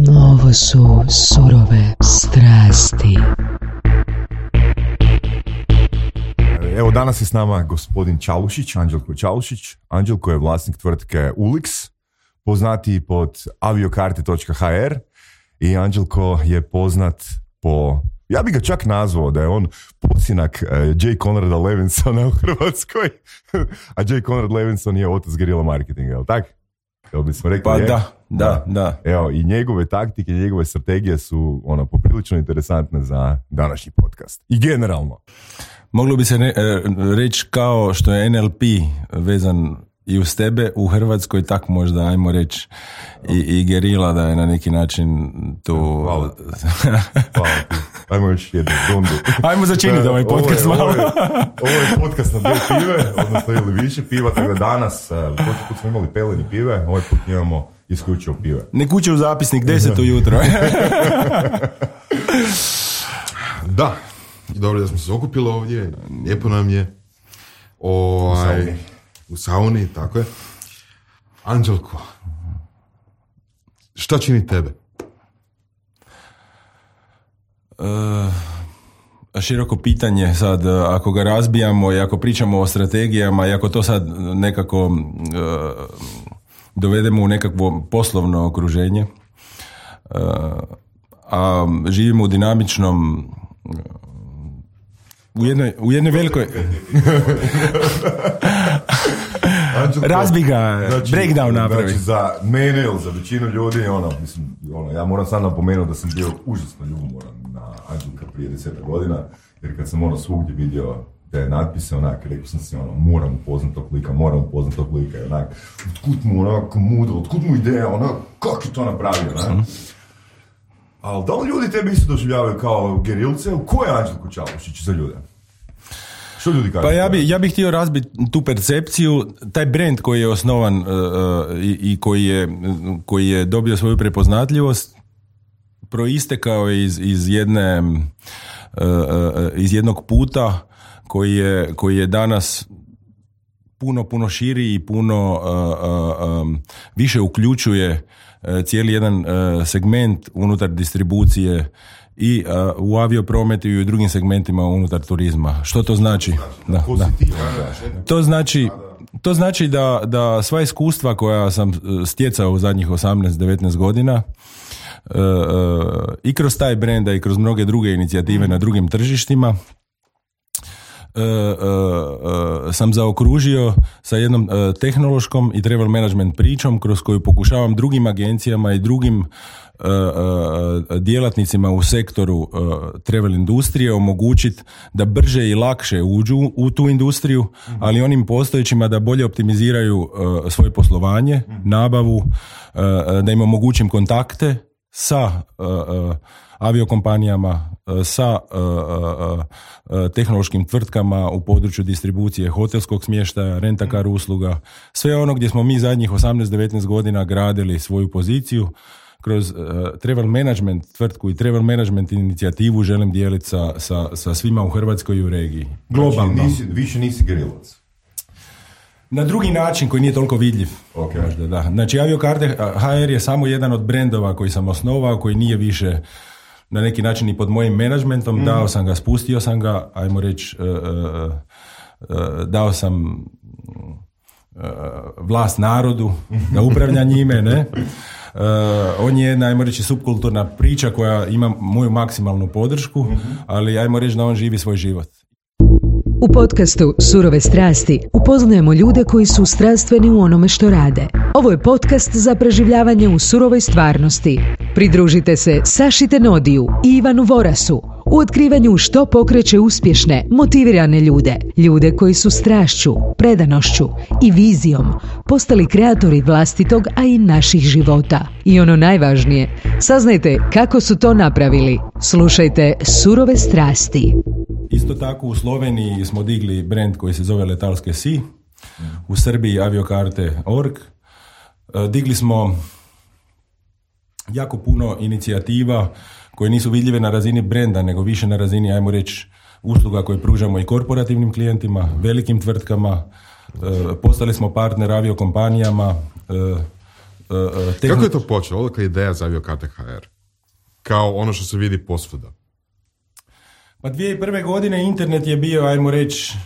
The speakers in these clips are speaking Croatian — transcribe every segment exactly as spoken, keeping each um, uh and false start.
Ovo su surove strasti. Evo danas je s nama gospodin Čalušić, Anđelko Čalušić. Anđelko je vlasnik tvrtke Ulix, poznati pod aviokarte točka ha er i Anđelko je poznat po, ja bih ga čak nazvao da je on posinak uh, J. Conrada Levinsona u Hrvatskoj, a J. Conrad Levinson je otac guerilla marketinga, jel tak? Evo bismo rekli, pa je? da, da, da. Evo, i njegove taktike, njegove strategije su ono, poprilično interesantne za današnji podcast. I generalno. Moglo bi se ne, reći kao što je en el pe vezan i uz tebe u Hrvatskoj, tak možda, ajmo reći, i, i gerila da je na neki način to... Hvala. Hvala ti. Ajmo još jednu rundu. Ajmo začiniti ovaj podcast malo. Ovo je, ovo je podcast na dve pive, odnosno ili više piva, tako da danas, prošli put smo imali peleni pive, ovaj put imamo isključivo pive. Ne kuće u zapisnik, deset ujutro. Da, dobro da smo se okupili ovdje, lijepo nam je. O, u sauni. U sauni, tako je. Anđelko, šta čini tebe? Uh, široko pitanje sad, ako ga razbijamo i ako pričamo o strategijama i ako to sad nekako uh, dovedemo u nekakvo poslovno okruženje, uh, a živimo u dinamičnom uh, u jednoj, u jednoj velikoj razbi ga, znači, breakdown napravi. Znači za mene ili za većinu ljudi, ono, mislim, ono, ja moram sad napomenuti da sam bio užasno ljubomoran na Anđelka prije deseta godina, jer kad sam ono svugdje vidio te natpise, onak, rekao sam si, ono, moram upoznat tog lika, moram upoznat tog lika, i onak, otkud mu onako mudro, otkud mu ideja, onak, kako je to napravio, onak? Mm. Ali da li ljudi tebe isto doživljavaju kao gerilce? Ko je Anđelko Čalušić za ljude? Što ljudi kažu? Pa ja bi, ja bih htio razbiti tu percepciju, taj brand koji je osnovan uh, i, i koji je, koji je dobio svoju prepoznatljivost, proistekao iz, iz jedne uh, iz jednog puta koji je, koji je danas puno, puno širi i puno uh, uh, um, više uključuje uh, cijeli jedan uh, segment unutar distribucije i uh, u avioprometu i u drugim segmentima unutar turizma. Što to znači? Da, da. To znači, to znači da, da sva iskustva koja sam stjecao u zadnjih osamnaest devetnaest godina uh, uh, i kroz taj brenda i kroz mnoge druge inicijative mm. na drugim tržištima Uh, uh, uh, sam zaokružio sa jednom uh, tehnološkom i travel management pričom kroz koju pokušavam drugim agencijama i drugim uh, uh, djelatnicima u sektoru uh, travel industrije omogućiti da brže i lakše uđu u tu industriju, mm-hmm. ali onim postojećima da bolje optimiziraju uh, svoje poslovanje, mm-hmm. nabavu, uh, da im omogućim kontakte sa uh, uh, aviokompanijama, sa uh, uh, uh, tehnološkim tvrtkama u području distribucije hotelskog smještaja, rentakar usluga, sve ono gdje smo mi zadnjih osamnaest devetnaest godina gradili svoju poziciju. Kroz uh, travel management tvrtku i travel management inicijativu želim dijeliti sa, sa, sa svima u Hrvatskoj i u regiji. Globalno. Znači, nisi, više nisi gerilac. Na drugi način koji nije toliko vidljiv. Okay. Možda, da. Znači aviokarte ha er je samo jedan od brendova koji sam osnovao, koji nije više na neki način i pod mojim menadžmentom, mm. dao sam ga, spustio sam ga, ajmo reći, uh, uh, uh, dao sam uh, vlast narodu da upravlja njime, ne? Uh, on je jedna, ajmo reći, subkulturna priča koja ima moju maksimalnu podršku, mm-hmm. ali ajmo reći da on živi svoj život. U podcastu Surove strasti upoznajemo ljude koji su strastveni u onome što rade. Ovo je podcast za preživljavanje u surovoj stvarnosti. Pridružite se Saši Tenodiju i Ivanu Vorasu u otkrivanju što pokreće uspješne, motivirane ljude. Ljude koji su strašću, predanošću i vizijom postali kreatori vlastitog, a i naših života. I ono najvažnije, saznajte kako su to napravili. Slušajte Surove strasti. Isto tako u Sloveniji smo digli brand koji se zove Letalske Si, u Srbiji aviokarte točka org. Digli smo jako puno inicijativa koje nisu vidljive na razini brenda, nego više na razini, ajmo reći, usluga koje pružamo i korporativnim klijentima, velikim tvrtkama. Postali smo partner aviokompanijama uh, tehn... Kako je to počelo? Odakle je ideja za Aviokarte ha er? Kao ono što se vidi posvuda. Pa dvije tisuće prve godine internet je bio, ajmo reći,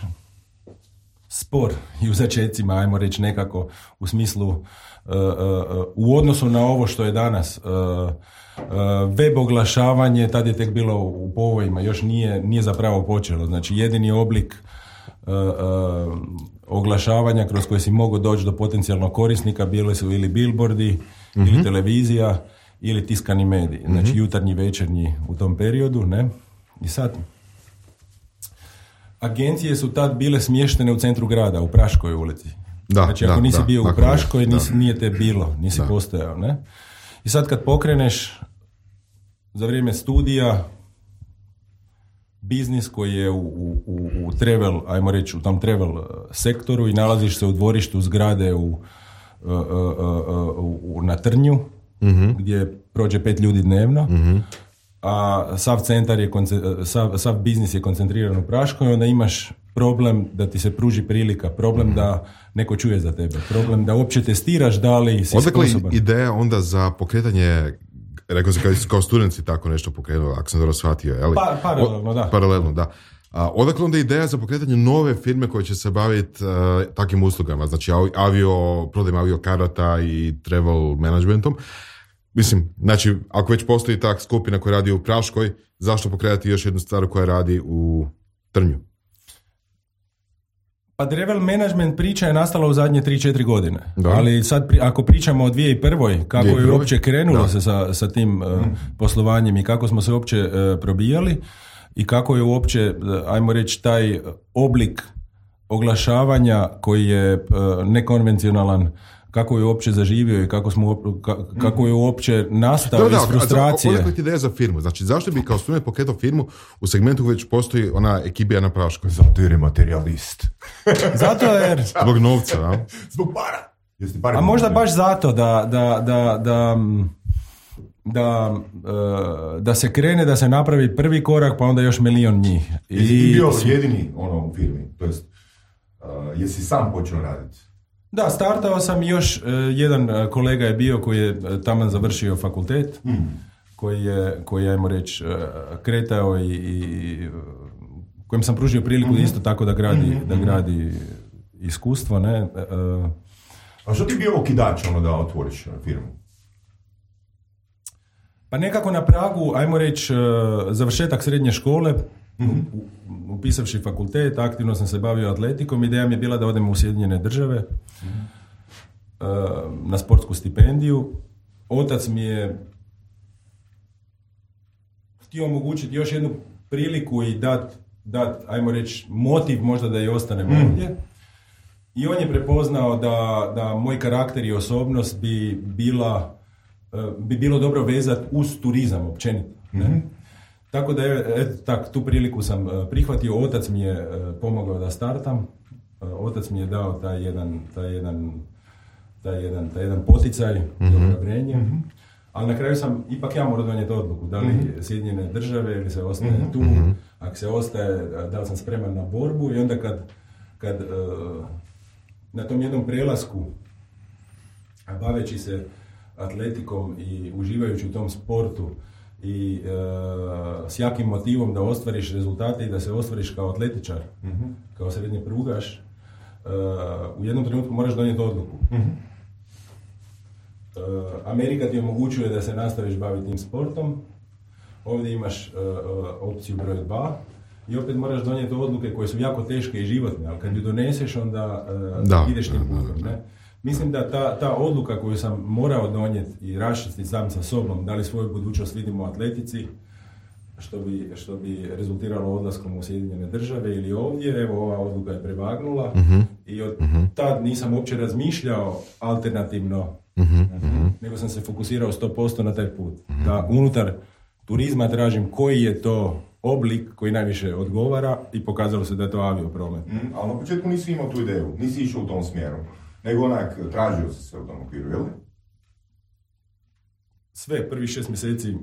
spor i u začecima, ajmo reći nekako u smislu uh, uh, u odnosu na ovo što je danas. Uh, uh, web oglašavanje, tad je tek bilo u povojima, još nije, nije zapravo počelo. Znači jedini oblik uh, uh, oglašavanja kroz koje si mogao doći do potencijalnog korisnika bili su ili billboardi, mm-hmm. ili televizija, ili tiskani mediji. Znači mm-hmm. jutarnji, večernji u tom periodu, ne? I sad, agencije su tad bile smještene u centru grada, u Praškoj ulici. Da, znači, ako da, nisi da, bio da, u Praškoj, da. nisi, nije te bilo, nisi da. postojao, ne? I sad kad pokreneš za vrijeme studija biznis koji je u, u, u travel, ajmo reći, u tom travel sektoru i nalaziš se u dvorištu zgrade u, uh, uh, uh, uh, na Trnju, mm-hmm. gdje prođe pet ljudi dnevno, mm-hmm. a sav centar je, sav, sav biznis je koncentriran u Praškoj, onda imaš problem da ti se pruži prilika, problem mm-hmm. da neko čuje za tebe, problem da uopće testiraš da li si Odakle sposoban. Ideja onda za pokretanje, rekao se kao, kao studenti tako nešto pokrenuo, ako sam dobro shvatio. Ali, pa, paralelno, da. Paralelno, da. A, odakle onda ideja za pokretanje nove firme koje će se baviti uh, takvim uslugama, znači avio, prodajem avio karata i travel managementom. Mislim, znači, ako već postoji tak skupina koja radi u Praškoj, zašto pokretati još jednu stvar koja radi u Trnju? Pa travel management priča je nastala u zadnje tri četiri godine. Da. Ali sad, pri, ako pričamo o dvije tisuće prve. kako dvije tisuće prve. je uopće krenulo da. se sa, sa tim uh, poslovanjem i kako smo se uopće uh, probijali i kako je uopće, uh, ajmo reći, taj oblik oglašavanja koji je uh, nekonvencionalan, kako je uopće zaživio i kako, smo, kako je uopće nastao da, da, iz frustracije. Odakle ti ideja za firmu? Znači, zašto bi kao student pokretao firmu u segmentu koji već postoji ona ekibija na Praškoj? Zato jer je materijalist. Zato jer... Zbog novca, a? Zbog para. Jeste para. A možda baš zato da, da, da, da, da, da se krene, da se napravi prvi korak, pa onda još milion njih. I jesi ti bio jedini ono, u firmi? To jest, uh, jesi sam počeo raditi? Da, startao sam još, uh, jedan uh, kolega je bio koji je uh, taman završio fakultet, mm. koji je, koji je, ajmo reći, uh, kretao i, i uh, kojem sam pružio priliku mm-hmm. isto tako da gradi, mm-hmm. da gradi iskustvo, ne? Uh, A što ti bio okidač ono da otvoriš firmu? Pa nekako na pragu, ajmo reći, uh, završetak srednje škole, mm-hmm. upisavši fakultet, aktivno sam se bavio atletikom, ideja mi je bila da odem u Sjedinjene države mm-hmm. uh, na sportsku stipendiju. Otac mi je htio omogućiti još jednu priliku i dat, dat ajmo reći, motiv možda da i ostanem mm. ovdje. I on je prepoznao da, da moj karakter i osobnost bi bila, bi bilo dobro vezati uz turizam općenito. Ne? Mm-hmm. Tako da je, eto, tak, tu priliku sam prihvatio, otac mi je pomogao da startam, otac mi je dao taj jedan, taj jedan, taj jedan, taj jedan poticaj, mm-hmm. odobrenje, mm-hmm. ali na kraju sam ipak ja morao donijeti odluku, da li mm-hmm. Sjedinjene države ili se ostaje mm-hmm. tu, mm-hmm. ako se ostaje, da li sam spreman na borbu i onda kad, kad uh, na tom jednom prelasku, baveći se atletikom i uživajući u tom sportu i uh, s jakim motivom da ostvariš rezultate i da se ostvariš kao atletičar, mm-hmm. kao srednji prugaš, uh, u jednom trenutku moraš donijeti odluku. Mm-hmm. Uh, Amerika ti omogućuje da se nastaviš baviti tim sportom, ovdje imaš uh, uh, opciju broj dva, i opet moraš donijeti odluke koje su jako teške i životne, ali kad ju doneseš onda uh, da, ideš tim putem. da, da. Ne? Mislim da ta, ta odluka koju sam morao donijeti i raščistiti sam sa sobom, da li svoju budućnost vidimo u atletici, što bi, što bi rezultiralo odlaskom u Sjedinjene države ili ovdje, evo ova odluka je prevagnula uh-huh. i od uh-huh. tad nisam uopće razmišljao alternativno, uh-huh. Uh-huh. nego sam se fokusirao sto posto na taj put. Uh-huh. Da unutar turizma tražim koji je to oblik koji najviše odgovara i pokazalo se da je to aviopromet. Mm, ali na početku nisi imao tu ideju, nisi išao u tom smjeru, nego onak tražio si se u tom okviru, jel? Sve, prvih šest mjeseci.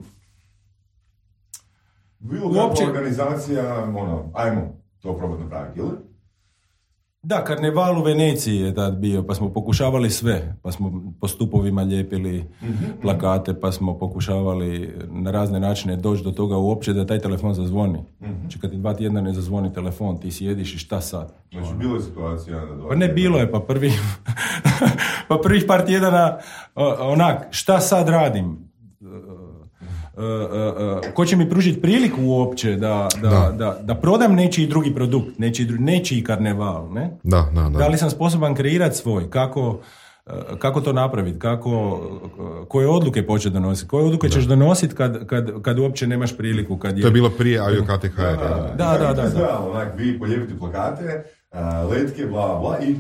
Bilo kakva uopće organizacija, ono, ajmo to probati napraviti, jel? Da, karneval u Veneciji je tad bio, pa smo pokušavali sve, pa smo po stupovima lijepili plakate, pa smo pokušavali na razne načine doći do toga uopće da taj telefon zazvoni. Znači kad ti dva tjedna ne zazvoni telefon, ti sjediš i šta sad? Znači bilo je situacija da dva Pa ne, bilo je, pa prvi pa prvih par tjedana onak, šta sad radim? Uh, uh, uh, ko će mi pružiti priliku uopće da, da, da. da, da prodam nečiji drugi produkt, nečiji, nečiji karneval, ne? Da, da, da. Da li sam sposoban kreirati svoj, kako, uh, kako to napraviti, kako, uh, koje odluke početi donositi, koje odluke da. ćeš donositi kad, kad, kad uopće nemaš priliku. Kad je... To je bilo prije Avio K T H R. Da, da, da. da, da, da. Onak, vi polijepite plakate, uh, letke, bla, bla i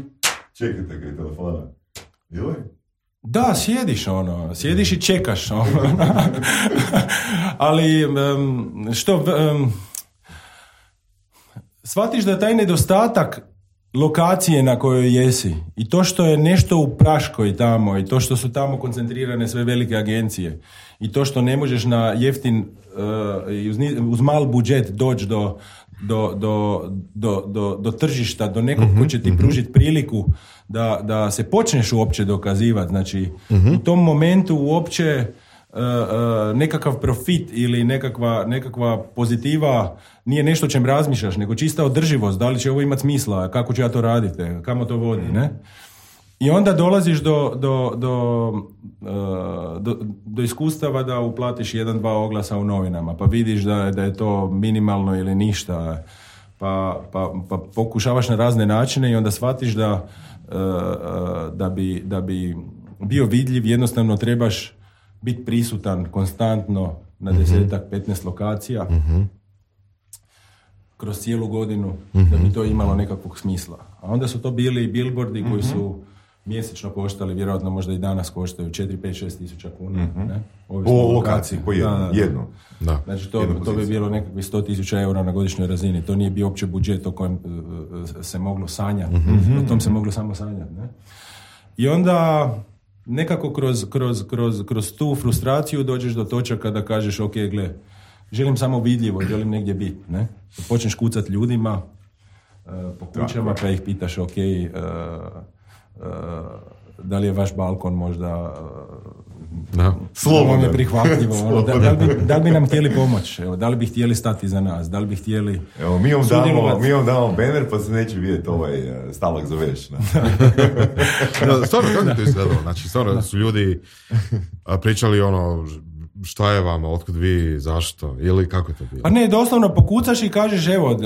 čekajte kaj telefona. Ili? Da, sjediš ono, sjediš i čekaš ono. Ali um, što um, shvatiš da taj nedostatak lokacije na kojoj jesi i to što je nešto u Praškoj tamo i to što su tamo koncentrirane sve velike agencije i to što ne možeš na jeftin uh, uz, uz mal budžet doći do, do, do, do, do, do tržišta, do nekog mm-hmm, ko će ti mm-hmm. pružiti priliku da, da se počneš uopće dokazivati. Znači, mm-hmm. u tom momentu uopće uh, uh, nekakav profit ili nekakva, nekakva pozitiva nije nešto o čem razmišljaš, nego čista održivost. Da li će ovo imati smisla, kako ću ja to raditi, kamo to vodi, ne? I onda dolaziš do, do, do, uh, do, do iskustava da uplatiš jedan, dva oglasa u novinama, pa vidiš da, da je to minimalno ili ništa, pa, pa, pa pokušavaš na razne načine i onda shvatiš da, uh, da, bi, da bi bio vidljiv, jednostavno trebaš biti prisutan konstantno na desetak, petnaest lokacija Mm-hmm. kroz cijelu godinu, mm-hmm. da bi to imalo nekakvog smisla. A onda su to bili billboardi mm-hmm. koji su mjesečno koštali, vjerojatno možda i danas koštaju četiri, pet, šest tisuća kuna. Mm-hmm. Ne? Po lokaciji, po jednu. Da, da. jednu. Da. Znači to, to bi bilo nekakvih sto tisuća eura na godišnjoj razini. To nije bio uopće budžet o kojem uh, se moglo sanjati. Mm-hmm. O tom se moglo samo sanjati. Ne? I onda nekako kroz, kroz, kroz, kroz tu frustraciju dođeš do točaka da kažeš ok, gle, želim samo vidljivo, želim negdje biti. Ne? Počneš kucati ljudima uh, po kućama pa ih pitaš ok, uh, Uh, da li je vaš balkon možda uh, no. Slobodan. Je prihvatljivo, ono, da, da, li bi, da li bi nam htjeli pomoći, evo, da li bi htjeli stati za nas, da li bi htjeli evo, mi vam damo, mi vam damo banner pa se neće vidjeti ovaj stavak za veš. No, stvarno, kako je to izgledalo? Znači, stvarno su ljudi pričali ono, šta je vama, otkud vi, zašto, ili kako je to bilo? Pa ne, doslovno pokucaš i kažeš evo,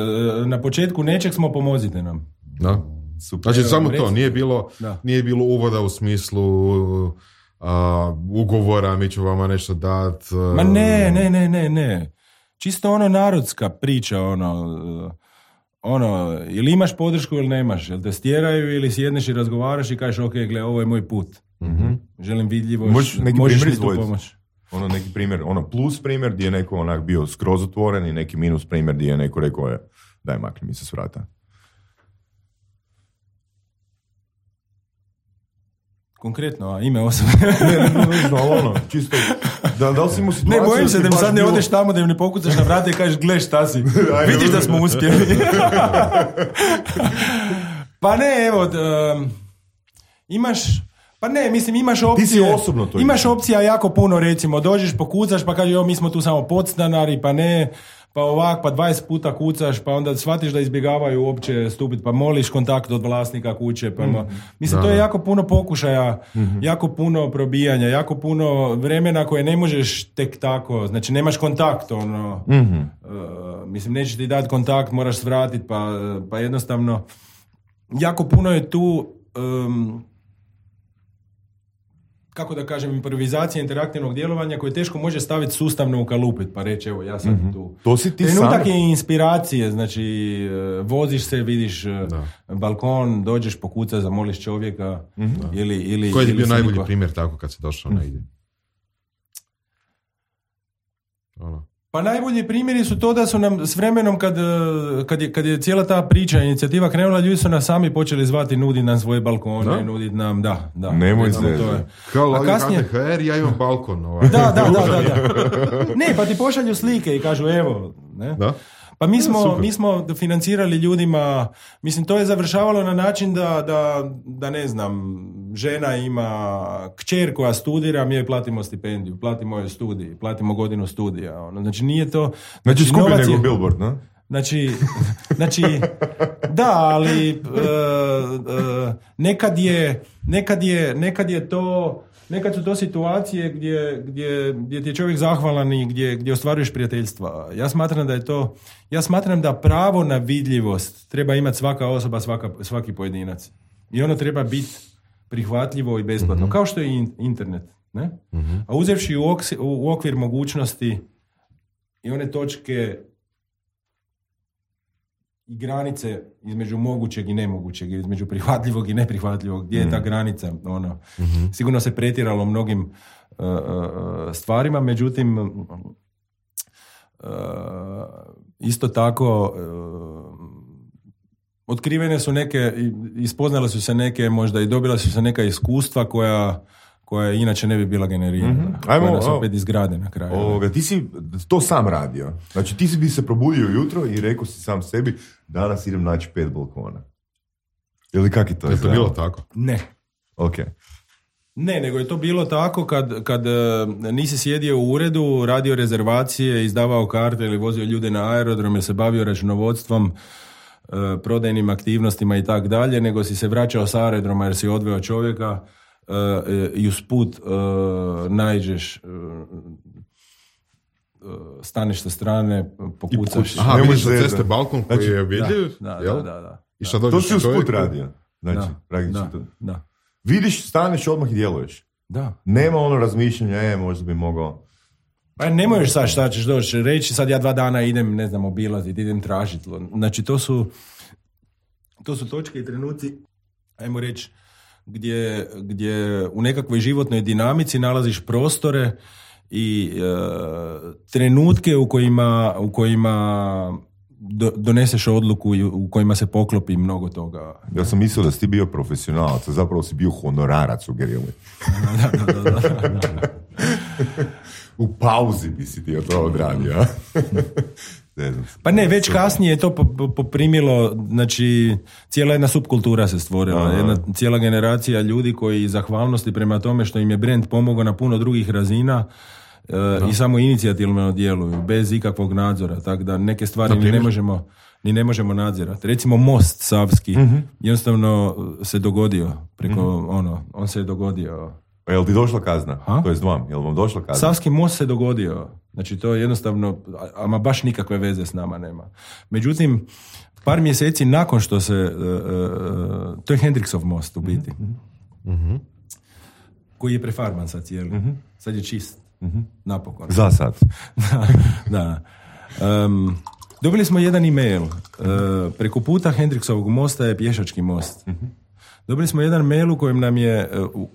na početku nečeg smo, pomozite nam. Da. Super. Znači samo to, nije bilo, nije bilo uvoda u smislu uh, ugovora, mi ću vama nešto dat. Uh, Ma ne, ne, ne, ne, ne. Čisto ono narodska priča, ono, uh, ono, ili imaš podršku ili nemaš, jel te stjeraju ili sjedneš i razgovaraš i kažeš ok, gle, ovo je moj put. Mm-hmm. Želim vidljivo, možeš, možeš mi tu pomoć. Ono neki primjer, ono plus primjer gdje je neko onak bio skroz otvoren i neki minus primjer gdje je neko rekao je, daj makni mi se s vrata. Konkretno, a ime osobe. ne, ne, ne, ne, ono, čisto, da, da li si imao situaciju... Ne, bojim se da mi sad ne bilo... odeš tamo, da mi ne pokucaš na vrata i kažeš, gle šta si, vidiš da smo uspjeli. Pa ne, evo, um, imaš... Pa ne, mislim, imaš opcije... Ti si osobno to imaš opcija jako puno, recimo, dođeš, pokucaš, pa kažeš, jo, mi smo tu samo podstanari, pa ne... pa ovak, pa dvadeset puta kucaš, pa onda shvatiš da izbjegavaju uopće stupiti, pa moliš kontakt od vlasnika kuće, pa mm. mislim, da. To je jako puno pokušaja, mm-hmm. jako puno probijanja, jako puno vremena koje ne možeš tek tako, znači nemaš kontakt, ono, mm-hmm. uh, mislim, nećeš ti dati kontakt, moraš svratiti, pa, pa jednostavno, jako puno je tu, um, kako da kažem, improvizacija interaktivnog djelovanja koje teško može staviti sustavno u kalupit, pa reći, evo, ja sam mm-hmm. tu. To si ti trenutak sam... je inspiracije, znači, voziš se, vidiš da. balkon, dođeš, pokucaš, zamoliš čovjeka, mm-hmm. ili, ili... Koji je ili bio najbolji niko... primjer tako kad si došao mm. negdje? Ono. Pa najbolji primjeri su to da su nam s vremenom kad, kad, je, kad je cijela ta priča, inicijativa krenula, ljudi su nas sami počeli zvati, nuditi nam svoje balkone, nuditi nam, da, da. Nemoj se. Kao Lavi kasnije... K T H R, ja imam balkon. Ovaj. Da, da, da, da, da. Ne, pa ti pošalju slike i kažu, evo, ne. Da? Pa mi smo, mi smo financirali ljudima, mislim to je završavalo na način da, da, da ne znam, žena ima kćer koja studira, mi joj platimo stipendiju, platimo joj studij, platimo godinu studija. Ono. Znači nije to... Znači, znači skupi nego je, Billboard, no? Znači, znači, da, ali uh, uh, nekad je, nekad je, nekad je to... Nekad su to situacije gdje, gdje, gdje ti je čovjek zahvalan i gdje, gdje ostvaruješ prijateljstva. Ja smatram da je to, ja smatram da pravo na vidljivost treba imati svaka osoba, svaka, svaki pojedinac. I ono treba biti prihvatljivo i besplatno, mm-hmm. kao što je internet. Ne? Mm-hmm. A uzevši u, oks, u okvir mogućnosti i one točke i granice između mogućeg i nemogućeg, između prihvatljivog i neprihvatljivog, gdje je ta granica, ono, mm-hmm. sigurno se pretjeralo mnogim uh, uh, stvarima, međutim uh, isto tako uh, otkrivene su neke, ispoznale su se neke, možda i dobila su se neka iskustva koja koja inače ne bi bila generirana. Mm-hmm. Ajmo, koja nas opet izgrade na kraju. Ovoga, ti si to sam radio. Znači ti si bi se probudio jutro i rekao si sam sebi, danas idem naći pet balkona. Ili kak je to? Je to bilo tako? Ne. Ok. Ne, nego je to bilo tako kad, kad uh, nisi sjedio u uredu, radio rezervacije, izdavao karte ili vozio ljude na aerodrom ili se bavio računovodstvom, uh, prodajnim aktivnostima i tak dalje, nego si se vraćao sa aerodroma jer si odveo čovjeka Uh, i usput uh, naiđeš, uh, uh, staneš sa strane, pokucaš. Aha, vidiš za ceste balkon koji znači, je vidljiv? Da, da, da, da, da. I šta to si usput radio. Znači, da, da, da. Vidiš, staneš odmah i djeluješ. Da. Nema ono razmišljanja, e, možda bi mogao... Pa ne možeš sad šta ćeš doći reći, sad ja dva dana idem, ne znam, obilaziti, idem tražiti. Znači, to su, to su točke i trenuci, ajmo reći, Gdje, gdje u nekakvoj životnoj dinamici nalaziš prostore i e, trenutke u kojima, u kojima do, doneseš odluku i u kojima se poklopi mnogo toga. Ja sam mislio da si ti bio profesionalac, a zapravo si bio honorarac u gerilli. da, da, da, da, da. U pauzi bi si ti to odradio. Pa ne, već kasnije je to poprimilo, znači cijela jedna subkultura se stvorila, aha. Jedna cijela generacija ljudi koji zahvalnosti prema tome što im je brand pomogao na puno drugih razina uh, i samo inicijativno djeluju, bez ikakvog nadzora, tako da neke stvari ni ne možemo, ni ne možemo nadzirati. Recimo most Savski, uh-huh. jednostavno se dogodio, preko uh-huh. ono, on se je dogodio. A jel ti došla kazna? Ha? To je vam, jel vam došla kazna? Savski most se dogodio. Znači to je jednostavno, ama baš nikakve veze s nama nema. Međutim, par mjeseci nakon što se, uh, uh, to je Hendriksov most u biti, mm-hmm. koji je prefarban sad cijeli. Mm-hmm. Sad je čist. Mm-hmm. Napokon. Za sad. da. da. Um, dobili smo jedan e-mail. Uh, preko puta Hendriksovog mosta je pješački most. Mm-hmm. Dobili smo jedan mail u kojem nam je uh,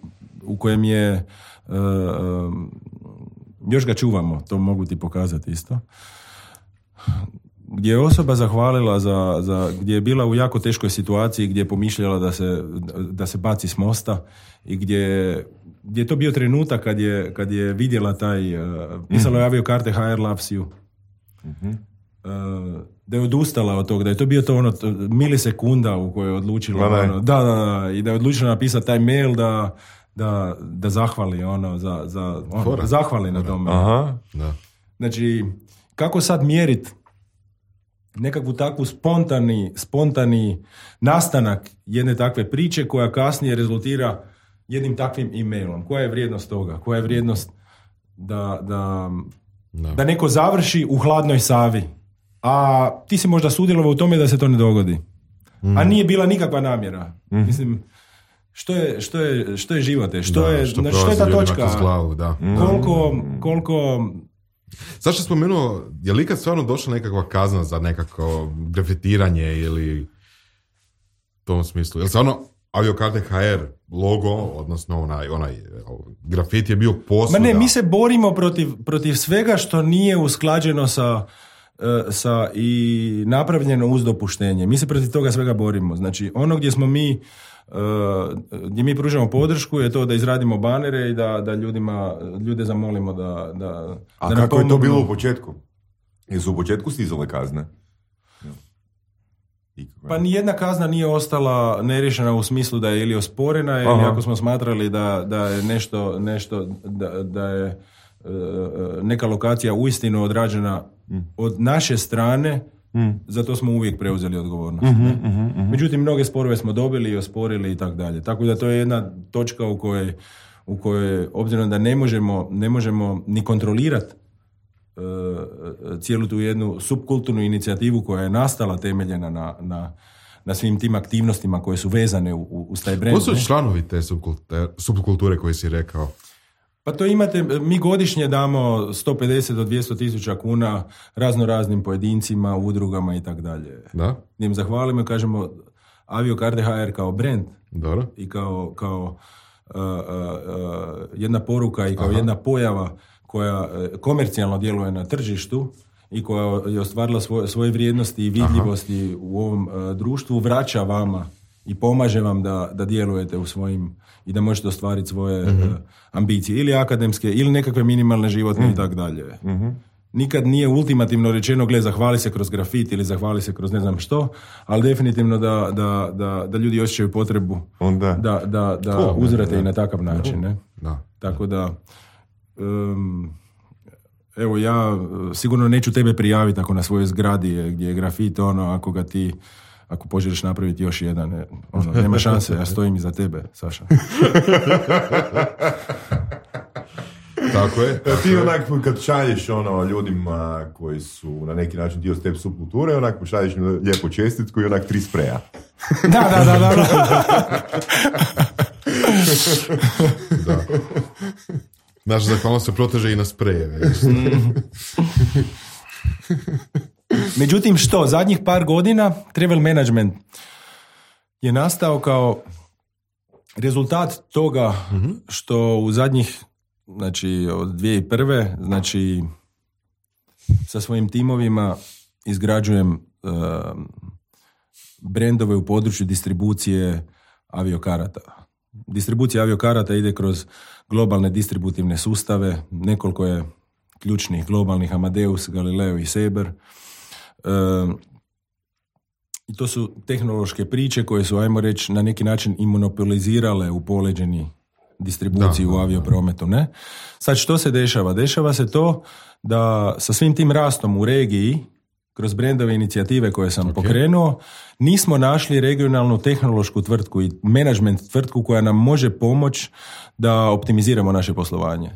u kojem je uh, um, još ga čuvamo, to mogu ti pokazati isto, gdje je osoba zahvalila za, za, gdje je bila u jako teškoj situaciji, gdje je pomišljala da se, da se baci s mosta i gdje, gdje je to bio trenutak kad je, kad je vidjela taj, uh, pisalo je aviokarte H R loves you. Mm-hmm. Uh, da je odustala od toga, da je to bio to ono milisekunda u kojoj je odlučila ono, da, da, da, i da je odlučila napisati taj mail da Da, da zahvali ono, za, za, ono, da zahvali na tome. Aha, da. Znači, kako sad mjeriti nekakvu takvu spontani, spontani nastanak jedne takve priče koja kasnije rezultira jednim takvim e-mailom? Koja je vrijednost toga? Koja je vrijednost da, da, da. da neko završi u hladnoj Savi, a ti si možda sudjelovao u tome da se to ne dogodi. Mm. A nije bila nikakva namjera. Mm. Mislim, Što je, što je, što je živote? Što, da, je, što, što je ta točka? Glavu, da. Koliko, koliko... Zašto spomenuo, je li ikad stvarno došla nekakva kazna za nekako grafitiranje ili u tom smislu? Je li stvarno aviokarte H R logo, odnosno onaj, onaj grafit je bio posvuda? Ma ne, mi se borimo protiv, protiv svega što nije usklađeno sa, sa i napravljeno uz dopuštenje. Mi se protiv toga svega borimo. Znači, ono gdje smo mi Uh, gdje mi pružamo podršku je to da izradimo banere i da, da ljudima, ljude zamolimo da... da A da kako je to bilo u početku? Jesu u početku stizale kazne? ikakve? Pa nijedna kazna nije ostala neriješena u smislu da je ili osporena ili ako smo smatrali da, da je nešto, nešto da, da je uh, neka lokacija uistinu odrađena mm. od naše strane, mm. zato smo uvijek preuzeli odgovornost. Mm-hmm, mm-hmm, mm-hmm. Međutim, mnoge sporove smo dobili i osporili i tako dalje. Tako da to je jedna točka u kojoj, u kojoj obzirom da ne možemo, ne možemo ni kontrolirati cijelu tu jednu subkulturnu inicijativu koja je nastala temeljena na, na, na svim tim aktivnostima koje su vezane u, u, uz taj brand. Ko su članovi te subkulture, subkulture koje si rekao? Pa to imate, mi godišnje damo sto pedeset do dvjesto tisuća kuna razno raznim pojedincima, udrugama i tako dalje. Da? Gdje im zahvalimo i kažemo Aviokarde ha er kao brand Dobro. I kao, kao uh, uh, uh, jedna poruka i kao Aha. jedna pojava koja komercijalno djeluje na tržištu i koja je ostvarila svoje, svoje vrijednosti i vidljivosti Aha. u ovom uh, društvu, vraća vama i pomaže vam da, da djelujete u svojim i da možete ostvariti svoje mm-hmm. uh, ambicije, ili akademske, ili nekakve minimalne životne mm-hmm. i tako dalje. Mm-hmm. Nikad nije ultimativno rečeno, gle, zahvali se kroz grafit ili zahvali se kroz ne znam što, ali definitivno da, da, da, da ljudi osjećaju potrebu Onda. da, da, da cool, uzvrate i na takav način. Ne? Da. Tako da Um, evo ja sigurno neću tebe prijaviti ako na svojoj zgradi je, gdje je grafit, ono, ako ga ti ako poželiš napraviti još jedan, ono, nema šanse, ja stojim iza tebe, Saša. Tako je. Tako ti je. onak kad šalješ ono ljudima koji su na neki način dio te subkulture, onak pošalješ lijepu čestitku i onak tri spreja. Da, da, da, da. Da. Naša zahvalnost se proteže i na sprejeve. Međutim, što? Zadnjih par godina travel management je nastao kao rezultat toga što u zadnjih, znači od dvije tisuće prve. znači sa svojim timovima izgrađujem uh, brendove u području distribucije aviokarata. Distribucija aviokarata ide kroz globalne distributivne sustave, nekoliko je ključnih globalnih, Amadeus, Galileo i Sabre. E, I to su tehnološke priče koje su, ajmo reći, na neki način i monopolizirale u poleđeni distribuciju da, u avioprometu. Ne? Sad što se dešava? Dešava se to da sa svim tim rastom u regiji, kroz brendove inicijative koje sam okay. pokrenuo, nismo našli regionalnu tehnološku tvrtku i management tvrtku koja nam može pomoći da optimiziramo naše poslovanje.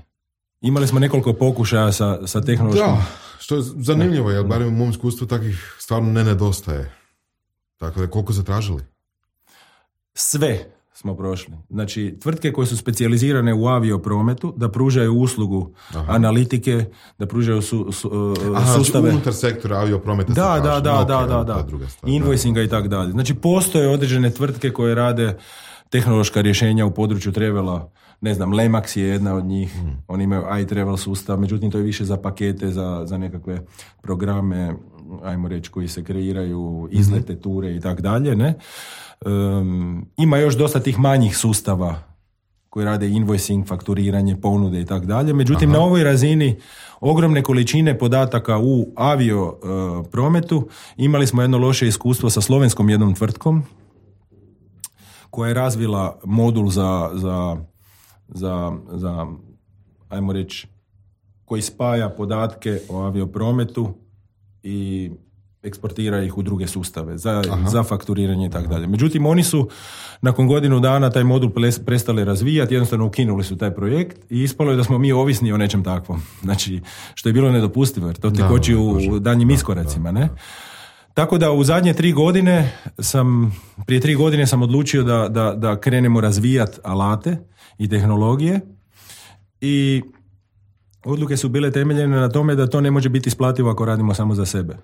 Imali smo nekoliko pokušaja sa, sa tehnološkim... Da, što je zanimljivo, jer barem u mom iskustvu takvih stvarno ne nedostaje. Tako da, koliko zatražili? Sve smo prošli. Znači, tvrtke koje su specijalizirane u avioprometu, da pružaju uslugu Aha. analitike, da pružaju su, su, Aha, sustave... Znači, unutar sektora avioprometa da, se da, da, okay, da, da, da. Invoicinga i tako dalje. Znači, postoje određene tvrtke koje rade tehnološka rješenja u području travela. Ne znam, Lemax je jedna od njih. Hmm. Oni imaju iTravel sustav, međutim, to je više za pakete, za, za nekakve programe, ajmo reći, koji se kreiraju, izlete, ture i tako dalje, ne? Um, ima još dosta tih manjih sustava koji rade invoicing, fakturiranje, ponude i tako dalje. Međutim, Aha. na ovoj razini ogromne količine podataka u avio uh, prometu imali smo jedno loše iskustvo sa slovenskom jednom tvrtkom koja je razvila modul za, za, za, za ajmo reći, koji spaja podatke o avioprometu i eksportira ih u druge sustave za, za fakturiranje i tako dalje. Međutim, oni su nakon godinu dana taj modul prestali razvijati, jednostavno ukinuli su taj projekt i ispalo je da smo mi ovisni o nečem takvom. Znači, što je bilo nedopustivo, jer to ti koči u daljnjim iskoracima, ne? Tako da u zadnje tri godine sam, prije tri godine sam odlučio da, da, da krenemo razvijati alate i tehnologije i odluke su bile temeljene na tome da to ne može biti isplativo ako radimo samo za sebe.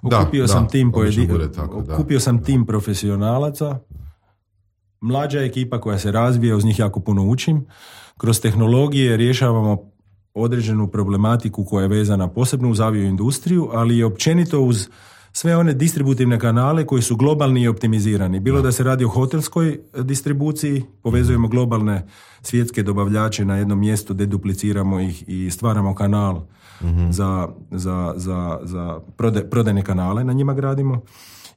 Okupio da, sam da, tim pojedi... tako, okupio sam da. tim profesionalaca, mlađa ekipa koja se razvija, uz njih jako puno učim. Kroz tehnologije rješavamo određenu problematiku koja je vezana posebno uz avioindustriju, ali i općenito uz sve one distributivne kanale koji su globalni i optimizirani. Bilo da, da se radi o hotelskoj distribuciji, povezujemo globalne svjetske dobavljače na jednom mjestu, dedupliciramo ih i stvaramo kanal mm-hmm. za, za, za, za prode, prodajne kanale, na njima gradimo.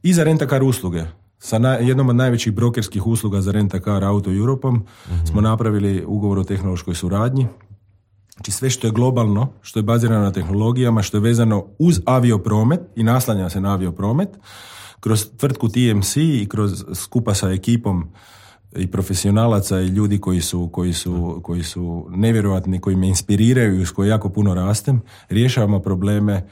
i za rent-a-car usluge. Sa na, jednom od najvećih brokerskih usluga za rent-a-car Auto Europom mm-hmm. smo napravili ugovor o tehnološkoj suradnji. Znači sve što je globalno, što je bazirano na tehnologijama, što je vezano uz aviopromet i naslanja se na aviopromet, kroz tvrtku T M C i kroz skupa sa ekipom i profesionalaca i ljudi koji su, koji su, koji su nevjerojatni, koji me inspiriraju i s koji jako puno rastem, rješavamo probleme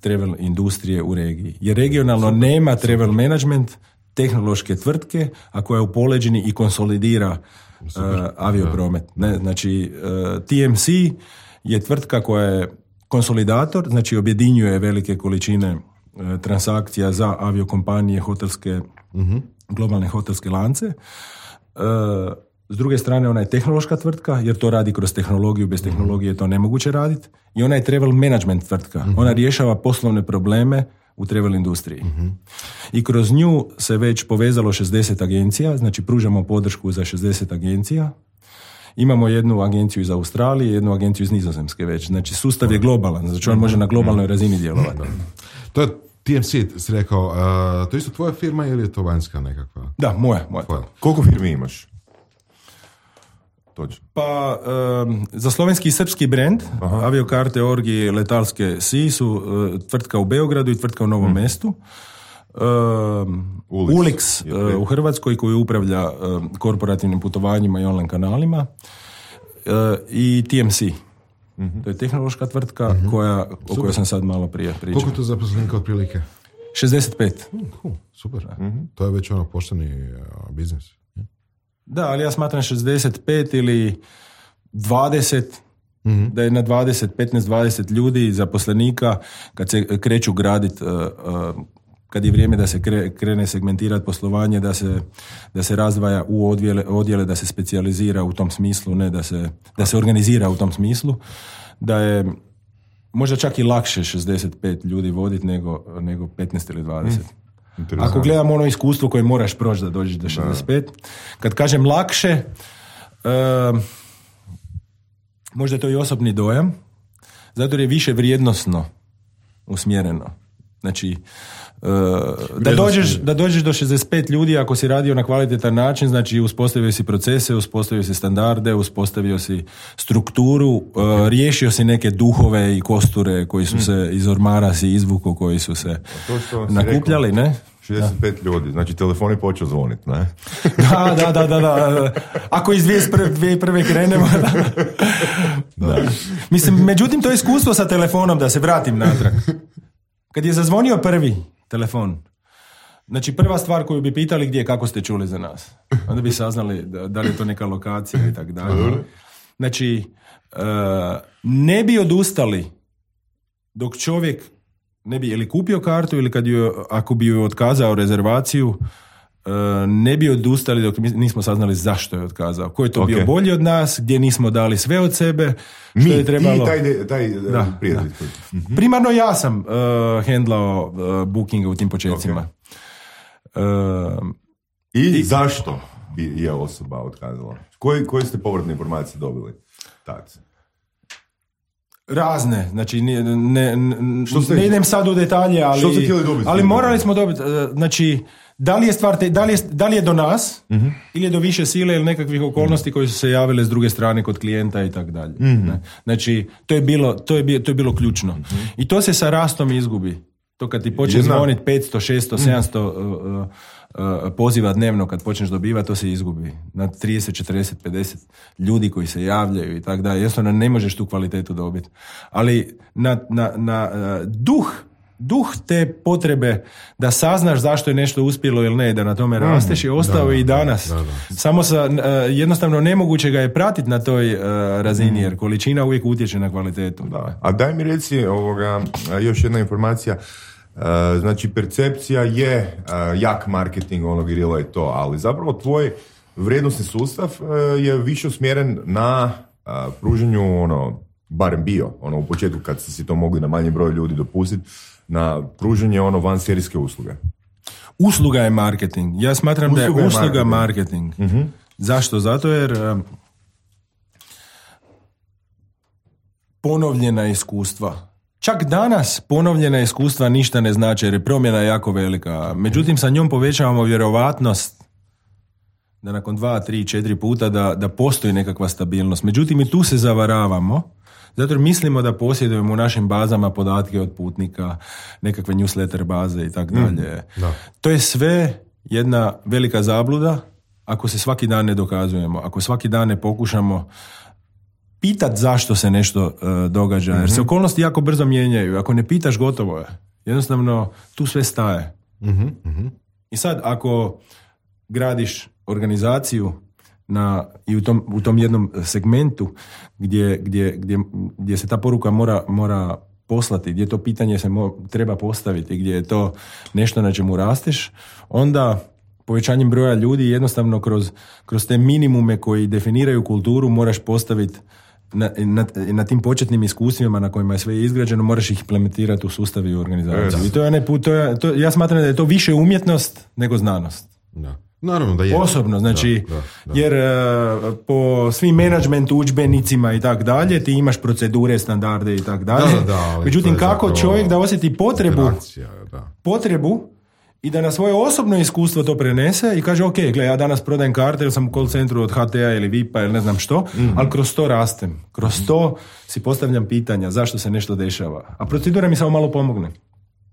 travel industrije u regiji. Jer regionalno nema travel management tehnološke tvrtke, a koja je u poleđini i konsolidira uh, aviopromet. Ne, znači, uh, T M C je tvrtka koja je konsolidator, znači objedinjuje velike količine uh, transakcija za aviokompanije, hotelske, uh-huh. globalne hotelske lance. Uh, s druge strane, ona je tehnološka tvrtka, jer to radi kroz tehnologiju, bez tehnologije je to nemoguće raditi. I ona je travel management tvrtka. Uh-huh. Ona rješava poslovne probleme u travel industriji. Uh-huh. I kroz nju se već povezalo šezdeset agencija, znači pružamo podršku za šezdeset agencija. Imamo jednu agenciju iz Australije, jednu agenciju iz Nizozemske već. Znači sustav je globalan, znači on može na globalnoj razini djelovati. To je T M C, si rekao, uh, to je isto tvoja firma ili je to vanjska nekakva? Da, moja. moja. Koliko firmi imaš? Točno. Pa, um, za slovenski i srpski brand, Aviokarte, Orgi, Letalske Si su uh, tvrtka u Beogradu i tvrtka u Novom mm. mestu. Um, Ulix uh, u Hrvatskoj koji upravlja uh, korporativnim putovanjima i online kanalima uh, i T M C. Mm-hmm. To je tehnološka tvrtka mm-hmm. koja, o kojoj sam sad malo prije pričao. Koliko tu zaposlenika otprilike? šezdeset pet. Mm, cool, super. Mm-hmm. To je već ono pošteni uh, biznis. Da, ali ja smatram šezdeset pet ili dvadeset, mm-hmm. da je na dvadeset, petnaest dvadeset ljudi zaposlenika kad se kreću graditi, uh, uh, kad je vrijeme da se kre, krene segmentirati poslovanje, da se, da se razdvaja u odjele, odjele, da se specijalizira u tom smislu, ne da se, da se organizira u tom smislu, da je možda čak i lakše šezdeset pet ljudi voditi nego, nego petnaest ili dvadeset. Mm. Ako gledam ono iskustvo koje moraš proći da dođeš do šezdeset pet, da. Kad kažem lakše, uh, možda je to i osobni dojam, zato jer je više vrijednosno usmjereno. Znači, uh, da, dođeš, da dođeš do šezdeset pet ljudi ako si radio na kvalitetan način, znači uspostavio si procese, uspostavio si standarde, uspostavio si strukturu, uh, riješio si neke duhove i kosture koji su mm. se iz ormara si izvuku, koji su se nakupljali, rekao, ne? šezdeset pet da. Ljudi, znači telefon je počeo zvoniti, ne? Da, da, da, da, da. Ako iz dvije tisuće prve krenemo, da. Da. Da. Mislim, međutim, to je iskustvo sa telefonom, da se vratim natrag. Kad je zazvonio prvi telefon, znači prva stvar koju bi pitali gdje, kako ste čuli za nas. Onda bi saznali da, da li je to neka lokacija i tako dalje. Znači, uh, ne bi odustali dok čovjek ne bi ili kupio kartu ili kad ju, ako bi ju otkazao rezervaciju, uh, ne bi odustali dok nismo saznali zašto je otkazao. Ko je to okay. bio bolji od nas, gdje nismo dali sve od sebe, što Mi, je trebalo. Mi, taj, taj da, prijatelj. Da. Mm-hmm. Primarno ja sam uh, hendlao uh, bookinga u tim početcima. Okay. Uh, I, I zašto bi je osoba otkazala? Koji, koje ste povratne informacije dobili? Tad. Razne, znači ne, ne, ne idem sad u detalje, ali, ali morali smo dobiti, znači da li je stvar, te, da, li je, da li je do nas uh-huh. ili je do više sile ili nekakvih okolnosti uh-huh. koje su se javile s druge strane kod klijenta i tako dalje. Uh-huh. Znači to je bilo, to je bilo, to je bilo ključno. Uh-huh. I to se sa rastom izgubi. To kad ti počne zvoniti petsto, šesto, sedamsto uh, uh, uh, poziva dnevno, kad počneš dobivati, to se izgubi. Na trideset, četrdeset, pedeset ljudi koji se javljaju i tako dalje. Jednostavno ne možeš tu kvalitetu dobiti. Ali na, na, na uh, duh, duh te potrebe da saznaš zašto je nešto uspjelo ili ne, da na tome rasteš, je ostao da, i danas. Da, da, da. Samo sa, uh, jednostavno nemoguće ga je pratiti na toj uh, razini, jer količina uvijek utječe na kvalitetu. Da. A daj mi reci ovoga, još jedna informacija. Uh, znači percepcija je uh, jak marketing, ono grilo je to, ali zapravo tvoj vrijednosni sustav uh, je više usmjeren na uh, pruženju, ono, barem bio, ono u početku kad ste si to mogli na manji broj ljudi dopustiti, na pruženje ono vanserijske usluge. Usluga je marketing. Ja smatram usluga da je usluga marketing. marketing. Uh-huh. Zašto? Zato jer uh, ponovljena iskustva, čak danas ponovljena iskustva ništa ne znače jer je promjena jako velika. Međutim, sa njom povećavamo vjerovatnost da nakon dva, tri, četiri puta da, da postoji nekakva stabilnost. Međutim, i tu se zavaravamo, zato jer mislimo da posjedujemo u našim bazama podatke od putnika, nekakve newsletter baze i tako dalje. To je sve jedna velika zabluda ako se svaki dan ne dokazujemo, ako svaki dan ne pokušamo pitat zašto se nešto uh, događa, jer se okolnosti jako brzo mijenjaju. Ako ne pitaš, gotovo je. Jednostavno, tu sve staje. Mm-hmm. I sad, ako gradiš organizaciju na, i u tom, u tom jednom segmentu gdje, gdje, gdje, gdje se ta poruka mora, mora poslati, gdje to pitanje se mo, treba postaviti, gdje je to nešto na čemu rasteš, onda povećanjem broja ljudi jednostavno kroz, kroz te minimume koji definiraju kulturu moraš postaviti na, na, na tim početnim iskustvima na kojima je sve izgrađeno, moraš ih implementirati u sustav i u organizaciju. I to je, ne, to je, to, ja smatram da je to više umjetnost nego znanost. Da. Naravno da je. Osobno, znači, da, da, da. jer uh, po svim menadžment udžbenicima i tak dalje, ti imaš procedure, standarde i tak dalje. Da, da, međutim, kako čovjek da osjeti potrebu, da. potrebu i da na svoje osobno iskustvo to prenese i kaže, ok, gle, ja danas prodajem karte jer sam u call centru od H T-a ili V I P-a ili ne znam što, mm-hmm. ali kroz to rastem. Kroz to si postavljam pitanja zašto se nešto dešava. A procedura mi samo malo pomogne.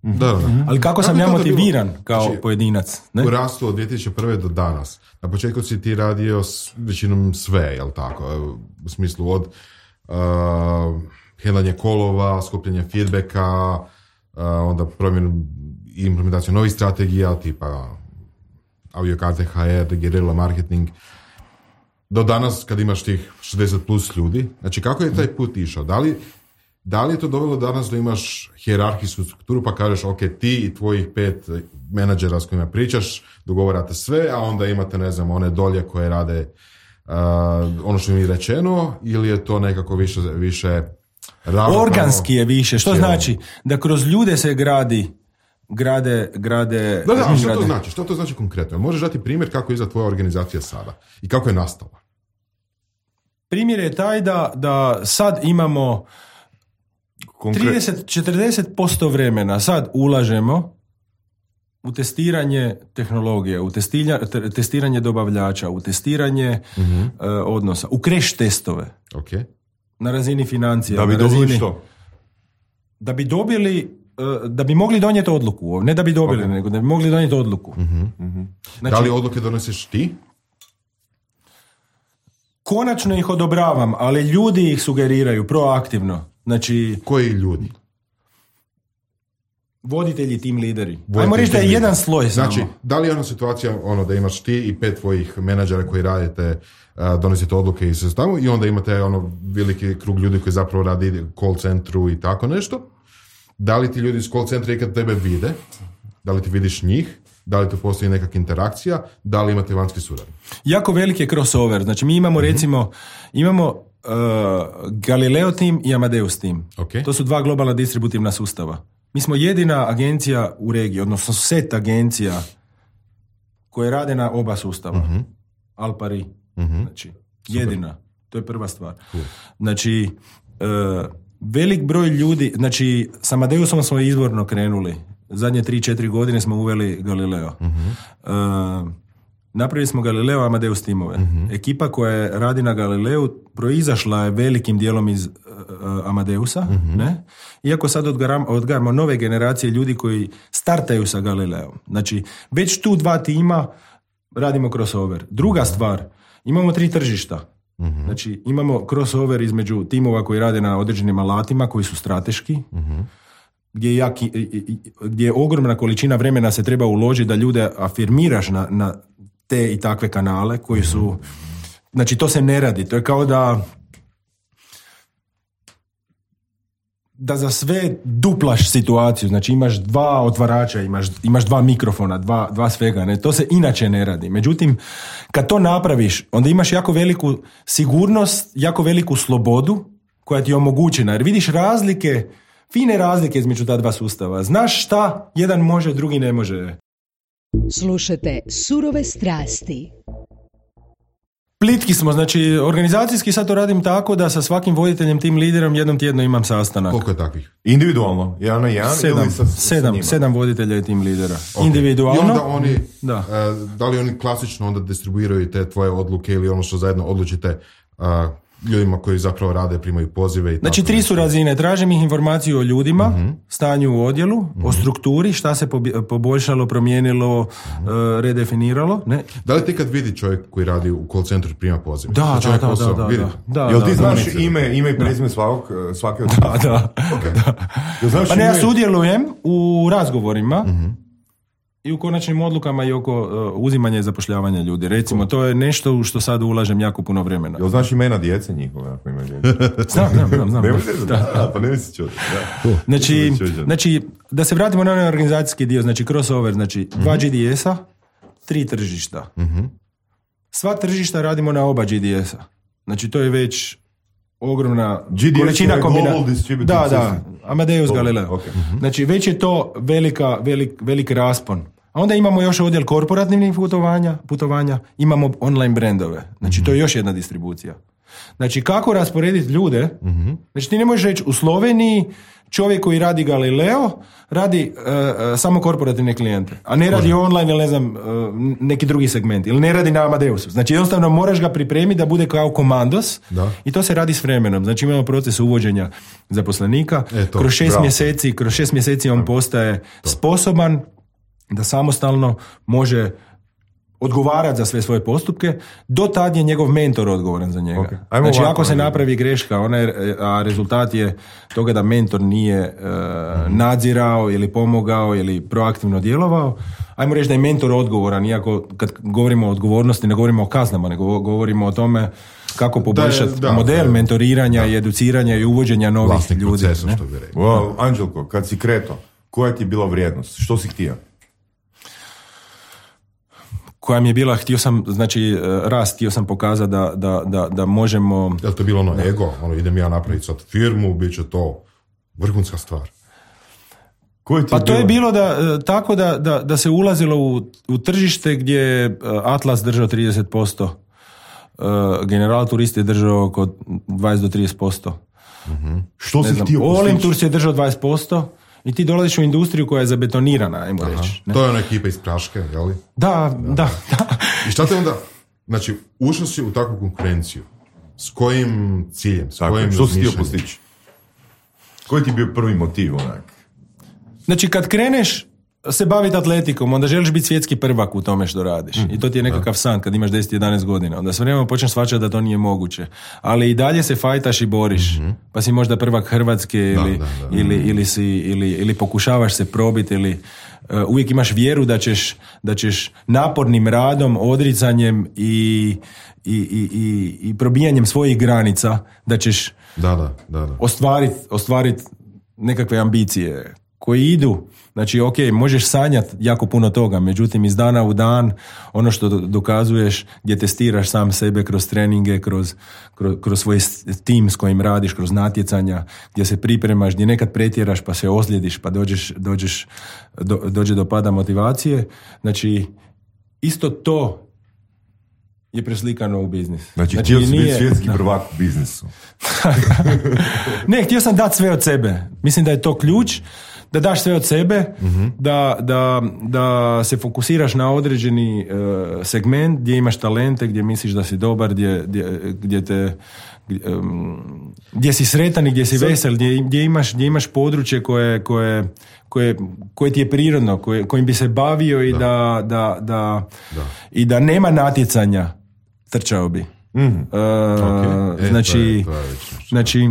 Da, da. Ali kako sam ja motiviran kao znači, pojedinac? Ne? U rastu od dvije tisuće prve do danas. Na početku si ti radio s većinom sve, jel tako? U smislu od uh, handlanje kolova, skupljanje feedbacka, uh, onda promjenu i implementaciju novih strategija, tipa aviokarte, H R, guerrilla marketing. Do danas kad imaš tih šezdeset plus ljudi, znači kako je taj put išao? Da li Da li je to dovelo danas da imaš hijerarhijsku strukturu pa kažeš ok, ti i tvojih pet menadžera s kojima pričaš dogovarate sve, a onda imate ne znam one dolje koje rade uh, ono što mi je rečeno, ili je to nekako više, više ravnopravno? Organski je više, što cijelo. Znači da kroz ljude se gradi grade, grade... Da, da, a što grade. to znači? Što to znači konkretno? Možeš dati primjer kako izgleda tvoja organizacija sada i kako je nastala? Primjer je taj da, da sad imamo trideset do četrdeset posto vremena sad ulažemo u testiranje tehnologije, u testiranje, testiranje dobavljača, u testiranje mm-hmm. uh, odnosa, u crash testove. Okay. Na razini financija. Da bi dobili razini, što? Da bi dobili, uh, da bi mogli donijeti odluku. Ne da bi dobili, okay. nego da bi mogli donijeti odluku. Mm-hmm. Mm-hmm. Znači, da li odluke donosiš ti? Konačno ih odobravam, ali ljudi ih sugeriraju proaktivno. Znači, koji ljudi? Voditelji, tim lideri. Voditelji, ajmo reći da je jedan sloj samo. Znači, da li je ona situacija ono, da imaš ti i pet tvojih menadžera koji radite, uh, donosite odluke i se stavu i onda imate ono veliki krug ljudi koji zapravo radi call centru i tako nešto. Da li ti ljudi iz call centra ikad tebe vide? Da li ti vidiš njih? Da li tu postoji nekakva interakcija? Da li imate vanjski suradnje? Jako veliki je crossover. Znači, mi imamo recimo, mm-hmm. imamo Uh, Galileo tim i Amadeus tim. Okay. To su dva globalna distributivna sustava. Mi smo jedina agencija u regiji, odnosno set agencija koje rade na oba sustava. Uh-huh. Alpari. Uh-huh. Znači, jedina. Super. To je prva stvar. Cool. Znači, uh, velik broj ljudi, znači, s Amadeusom smo izvorno krenuli. Zadnje tri četiri godine smo uveli Galileo. Uh-huh. Uh, Napravili smo Galileo Amadeus timove. Mm-hmm. Ekipa koja radi na Galileu proizašla je velikim dijelom iz uh, Amadeusa. Mm-hmm. Ne? Iako sad odgaramo, odgaramo nove generacije ljudi koji startaju sa Galileom. Znači, već tu dva tima radimo crossover. Druga mm-hmm. stvar, imamo tri tržišta. Mm-hmm. Znači, imamo crossover između timova koji rade na određenim alatima koji su strateški, mm-hmm. gdje je, jaki, gdje je ogromna količina vremena se treba uložiti da ljude afirmiraš na, na te i takve kanale koji su, znači to se ne radi, to je kao da da za sve duplaš situaciju, znači imaš dva otvarača, imaš, imaš dva mikrofona, dva, dva svega, ne? To se inače ne radi. Međutim, kad to napraviš, onda imaš jako veliku sigurnost, jako veliku slobodu koja ti je omogućena, jer vidiš razlike, fine razlike između ta dva sustava. Znaš šta jedan može, drugi ne može. Slušajte Surove strasti. Plitki smo, znači organizacijski sad to radim tako da sa svakim voditeljem, tim liderom jednom tjedno imam sastanak. Koliko je takvih? Individualno, jedan na jedan sedam, ili sa, sa sedam, njima? sedam voditelja i tim lidera. Okay. Individualno. I onda oni, da. Uh, da li oni klasično onda distribuiraju te tvoje odluke ili ono što zajedno odlučite uh, ljudima koji zapravo rade, primaju pozive i znači tako tri nešto. su razine, tražim ih informaciju o ljudima, uh-huh. stanju u odjelu, uh-huh. o strukturi, šta se pobi- poboljšalo, promijenilo, uh-huh. uh, redefiniralo. Ne? Da li ti kad vidi čovjek koji radi u call centru prima pozive? Da, Znači, da, čovjek da, posao, da, da, vidi? da. Jel ti da, znaš da. ime, ime i prezime svakog, svake od Da, da. Okay. da. Jel znaš Pa ne, ja ime? sudjelujem u razgovorima Uh-huh. i u konačnim odlukama i oko uh, uzimanja i zapošljavanja ljudi. Recimo, to je nešto u što sad ulažem jako puno vremena. Jel znaš imena djece njihove, ako imaju djece? Znam, znam, znam. znam. Ne možeš da, da, pa ne misli čuti. Znači, znači, da se vratimo na onaj organizacijski dio, znači crossover, znači uh-huh. dva G D S-a, tri tržišta. Uh-huh. Sva tržišta radimo na oba G D S-a. Znači, to je već ogromna G D S količina je kombina... Global Distributed Da, da, System. Amadeus Global, Galileo. okay. Uh-huh. Znači, već je to velika, velik, velik raspon. A onda imamo još odjel korporativnih putovanja, putovanja, imamo online brandove. Znači, to je još jedna distribucija. Znači, kako rasporediti ljude? Uh-huh. Znači, ti ne možeš reći u Sloveniji čovjek koji radi Galileo radi uh, uh, samo korporativne klijente, a ne radi online ili ne znam, uh, neki drugi segment, ili ne radi na Amadeusu. Znači, jednostavno moraš ga pripremiti da bude kao komandos da. I to se radi s vremenom. Znači, imamo proces uvođenja zaposlenika. E, to, kroz šest bravo. mjeseci, kroz šest mjeseci on postaje to. sposoban da samostalno može odgovarati za sve svoje postupke, do tad je njegov mentor odgovoran za njega. Okay. Ajmo Znači, ovako, ako se ajmo. napravi greška, ona je, a rezultat je toga da mentor nije uh, mm-hmm. nadzirao ili pomogao ili proaktivno djelovao, ajmo reći da je mentor odgovoran, iako kad govorimo o odgovornosti ne govorimo o kaznama, nego govorimo o tome kako poboljšati da, model da, da, mentoriranja da. i educiranja i uvođenja novih Vlasnik ljudi. procesa, Ne? što bi rekao. Wow, Anđelko, kad si kreto, koja ti je bila vrijednost? Što si htio? Koja mi je bila, htio sam, znači, rast, htio sam pokazati da, da, da, da možemo... Je li to bilo ono ego? Ono, idem ja napraviti sad firmu, bit će to vrhunska stvar. Koji ti Pa to bilo? je bilo da, tako da, da, da se ulazilo u, u tržište gdje je Atlas držao trideset posto, General Turist je držao oko dvadeset do trideset posto. Mm-hmm. Što si znam, htio Olim postići? Tours je držao dvadeset posto i ti dolaziš u industriju koja je zabetonirana, ajmo reći. Ne? To je ona ekipa iz Praške, jel? Da, da, da. da. I šta te onda, znači, ušao si u takvu konkurenciju. S kojim ciljem? S Tako, kojim što si htio razmišljanjem? postići? Koji ti je bio prvi motiv, onak? Znači, kad kreneš se baviti atletikom, onda želiš biti svjetski prvak u tome što radiš. Mm, I to ti je nekakav da. san kad imaš deset jedanaest godina. Onda s vremenom počneš shvaćati da to nije moguće. Ali i dalje se fajtaš i boriš. Mm-hmm. Pa si možda prvak Hrvatske ili, da, da, da. ili, ili, si, ili, ili pokušavaš se probiti ili uh, uvijek imaš vjeru da ćeš, da ćeš napornim radom, odricanjem i, i, i, i, i probijanjem svojih granica da ćeš da, da, da, da. ostvariti ostvarit nekakve ambicije koji idu. Znači, ok, možeš sanjati jako puno toga, međutim, iz dana u dan, ono što dokazuješ, gdje testiraš sam sebe kroz treninge, kroz, kroz, kroz svoj tim s kojim radiš, kroz natjecanja, gdje se pripremaš, gdje nekad pretjeraš pa se ozljediš, pa dođeš, dođeš, do, dođe do pada motivacije. Znači, isto to je preslikano u biznis. Znači, znači htio si nije... biti svjetski prvak u biznisu. Ne, htio sam dati sve od sebe. Mislim da je to ključ. Da daš sve od sebe, mm-hmm. da, da, da se fokusiraš na određeni uh, segment gdje imaš talente, gdje misliš da si dobar, gdje, gdje, gdje te gdje, um, gdje si sretan i gdje si vesel, gdje, gdje, imaš, gdje imaš područje koje, koje, koje, koje ti je prirodno, koje, kojim bi se bavio i da, da, da, da, da. i da nema natjecanja, trčao bi. Mm-hmm. Uh, okay. e, znači, to je, to je znači,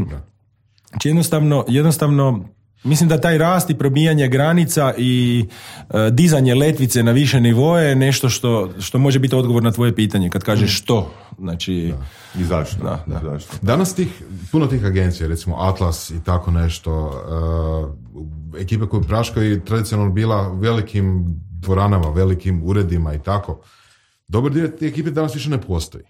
znači jednostavno, jednostavno mislim da taj rast i probijanje granica i uh, dizanje letvice na više nivoje je nešto što, što može biti odgovor na tvoje pitanje kad kažeš što. Znači, da. I zašto? Da, da. zašto? Danas tih, puno tih agencija, recimo Atlas i tako nešto, uh, ekipe koje praškaju tradicionalno bila velikim dvoranama, velikim uredima i tako. Dobar dio te ekipe danas više ne postoji.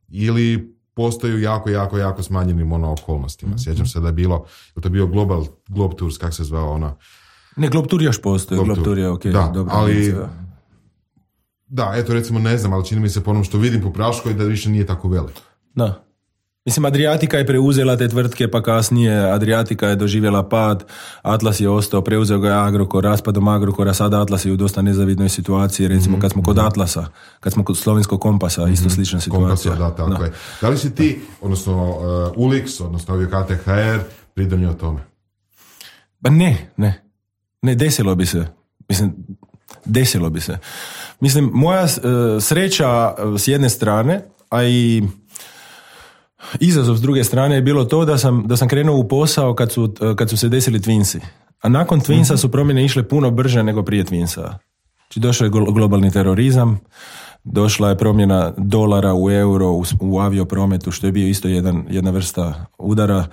Ili postaju jako, jako, jako smanjenim ono okolnostima. Sjećam se da je bilo, da je bio Global, Globe Tours, kak se zvao ona? Ne, Globe Tour još postoji, Globe, Globe Tour je ok. Da, dobra ali agencija. Da, eto recimo ne znam, ali čini mi se po onom što vidim po Praškoj da više nije tako velik. Da. Mislim, Adriatika je preuzela te tvrtke, pa kasnije Adriatika je doživjela pad, Atlas je ostao, preuzeo ga je Agrokor, raspadom Agrokora, sada Atlas je u dosta nezavidnoj situaciji, recimo mm-hmm. kad smo kod Atlasa, kad smo kod Slovenskog kompasa, isto mm-hmm. slična situacija. Kompasa, da, tako da. Je. Da li si ti, odnosno uh, Ulix, odnosno K T H R, pridonio tome? Pa ne, ne. Ne, desilo bi se. Mislim, desilo bi se. Mislim, moja uh, sreća s jedne strane, a i izazov s druge strane je bilo to da sam, da sam krenuo u posao kad su, kad su se desili Twinsi. A nakon Twinsa su promjene išle puno brže nego prije Twinsa. Znači došao je globalni terorizam, došla je promjena dolara u euro, u, u avioprometu, što je bio isto jedan, jedna vrsta udara.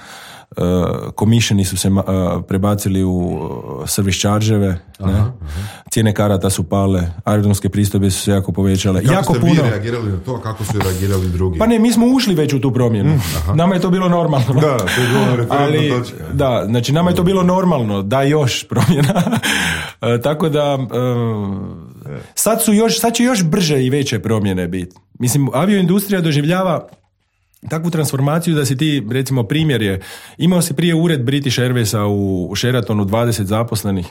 Komisheni uh, su se uh, prebacili u uh, service charge-eve, aha, ne? Aha. Cijene karata su pale, aerodromske pristojbe su se jako povećale. Kako jako ste puno... vi reagirali na to, kako su reagirali drugi? Pa ne, mi smo ušli već u tu promjenu. Mm, nama je to bilo normalno. Da, to je bilo referentna točka. Da, znači nama je to bilo normalno, da još promjena. uh, tako da uh, sad su još, sad će još brže i veće promjene biti. Mislim, avioindustrija doživljava takvu transformaciju da si ti, recimo primjer je, imao si prije ured British Airwaysa u Sheratonu dvadeset zaposlenih,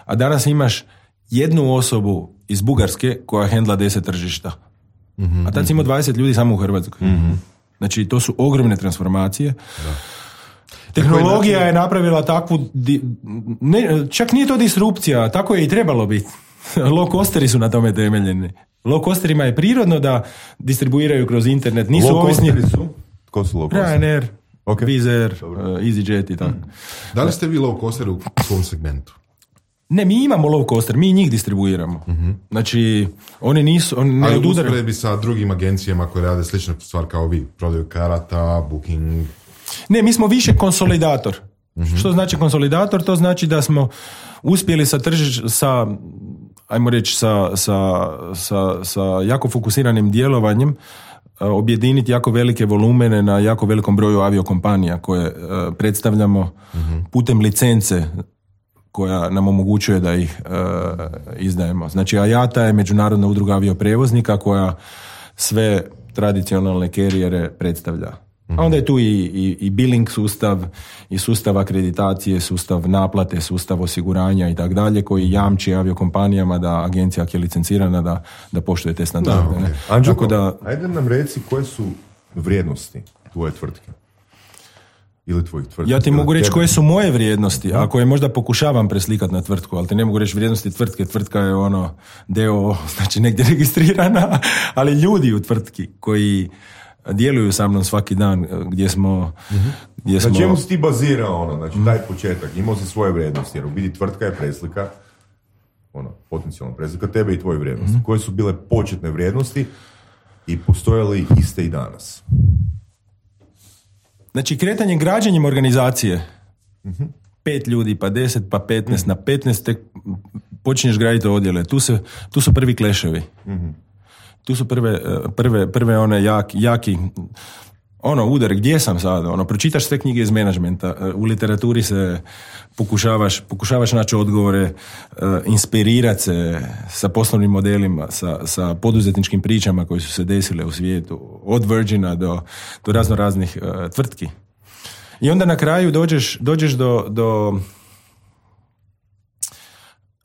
a danas imaš jednu osobu iz Bugarske koja hendla deset tržišta. Mm-hmm. A tad si imao dvadeset ljudi samo u Hrvatskoj. Mm-hmm. Znači, to su ogromne transformacije. Da. Tehnologija je napravila takvu, ne, čak nije to disrupcija, tako je i trebalo biti. Low costeri su na tome temeljeni. Low costerima je prirodno da distribuiraju kroz internet. Nisu low ovisni... su? Ko su low costeri? Ryanair, okay. Wizz Air, uh, EasyJet i tako. Mm. Da li ste vi low coster u svom segmentu? Ne, mi imamo low coster, mi njih distribuiramo. Mm-hmm. Znači, oni nisu... Oni ne ali odudaraju. usporedbi sa drugim agencijama koje rade sličnu stvar kao vi, prodaju karata, booking... Ne, mi smo više konsolidator. Mm-hmm. Što znači konsolidator? To znači da smo uspjeli sa tržiš, sa, ajmo reći, sa, sa, sa, sa jako fokusiranim djelovanjem objediniti jako velike volumene na jako velikom broju aviokompanija koje uh, predstavljamo mm-hmm. putem licence koja nam omogućuje da ih uh, izdajemo. Znači, A I A T A je Međunarodna udruga avioprijevoznika koja sve tradicionalne kerijere predstavlja. A onda je tu i, i, i billing sustav, i sustav akreditacije, sustav naplate, sustav osiguranja i tak dalje, koji jamči aviokompanijama da agencija ako je licencirana da, da poštuje te standarde. No, okay. Anđelko, da, ajde nam reci koje su vrijednosti tvoje tvrtke? Ili tvojih tvrtki? Ja ti mogu reći koje su moje vrijednosti, a koje možda pokušavam preslikati na tvrtku, ali ti ne mogu reći vrijednosti tvrtke. Tvrtka je ono d o o, znači negdje registrirana, ali ljudi u tvrtki koji djeluju sa mnom svaki dan, gdje smo... Mm-hmm. Gdje smo... Na čemu si ti bazirao ono, znači taj početak, imao si svoje vrijednosti, jer u biti tvrtka je preslika, ono, potencijalna preslika tebe i tvoje vrijednosti. Mm-hmm. Koje su bile početne vrijednosti i postoje li iste i danas? Znači, kretanjem građenjem organizacije, mm-hmm. pet ljudi, pa deset, pa petnaest, mm-hmm. na petnaest tek počinješ graditi odjele. Tu, se, tu su prvi kleševi. Mm-hmm. Tu su prve, prve, prve one jak, jaki, ono, udar, gdje sam sad, ono, pročitaš sve knjige iz menadžmenta, u literaturi se pokušavaš, pokušavaš naći odgovore, inspirirati se sa poslovnim modelima, sa, sa poduzetničkim pričama koje su se desile u svijetu, od Virgina do, do razno raznih uh, tvrtki. I onda na kraju dođeš, dođeš do, do,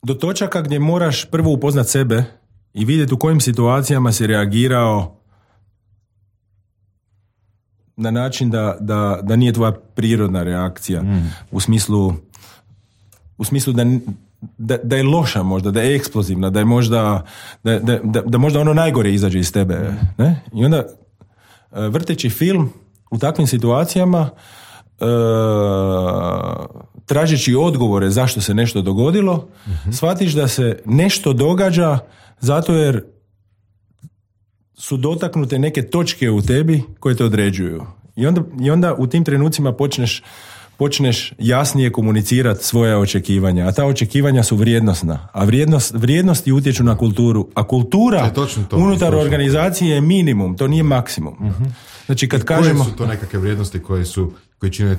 do točaka gdje moraš prvo upoznat sebe i vidjeti u kojim situacijama si reagirao na način da, da, da nije tvoja prirodna reakcija, mm. u smislu, u smislu da, da, da je loša možda, da je eksplozivna, da je možda, da, da, da, da možda ono najgore izađe iz tebe. Ne? I onda vrteći film u takvim situacijama, uh, tražeći odgovore zašto se nešto dogodilo, mm-hmm. shvatiš da se nešto događa zato jer su dotaknute neke točke u tebi koje te određuju. I onda, i onda u tim trenucima počneš, počneš jasnije komunicirati svoja očekivanja. A ta očekivanja su vrijednosna. A vrijednost, vrijednosti utječu na kulturu. A kultura je to, unutar točno. Organizacije je minimum. To nije maksimum. Mm-hmm. Znači kad I koje kažemo... su to nekakve vrijednosti koje, su, koje čine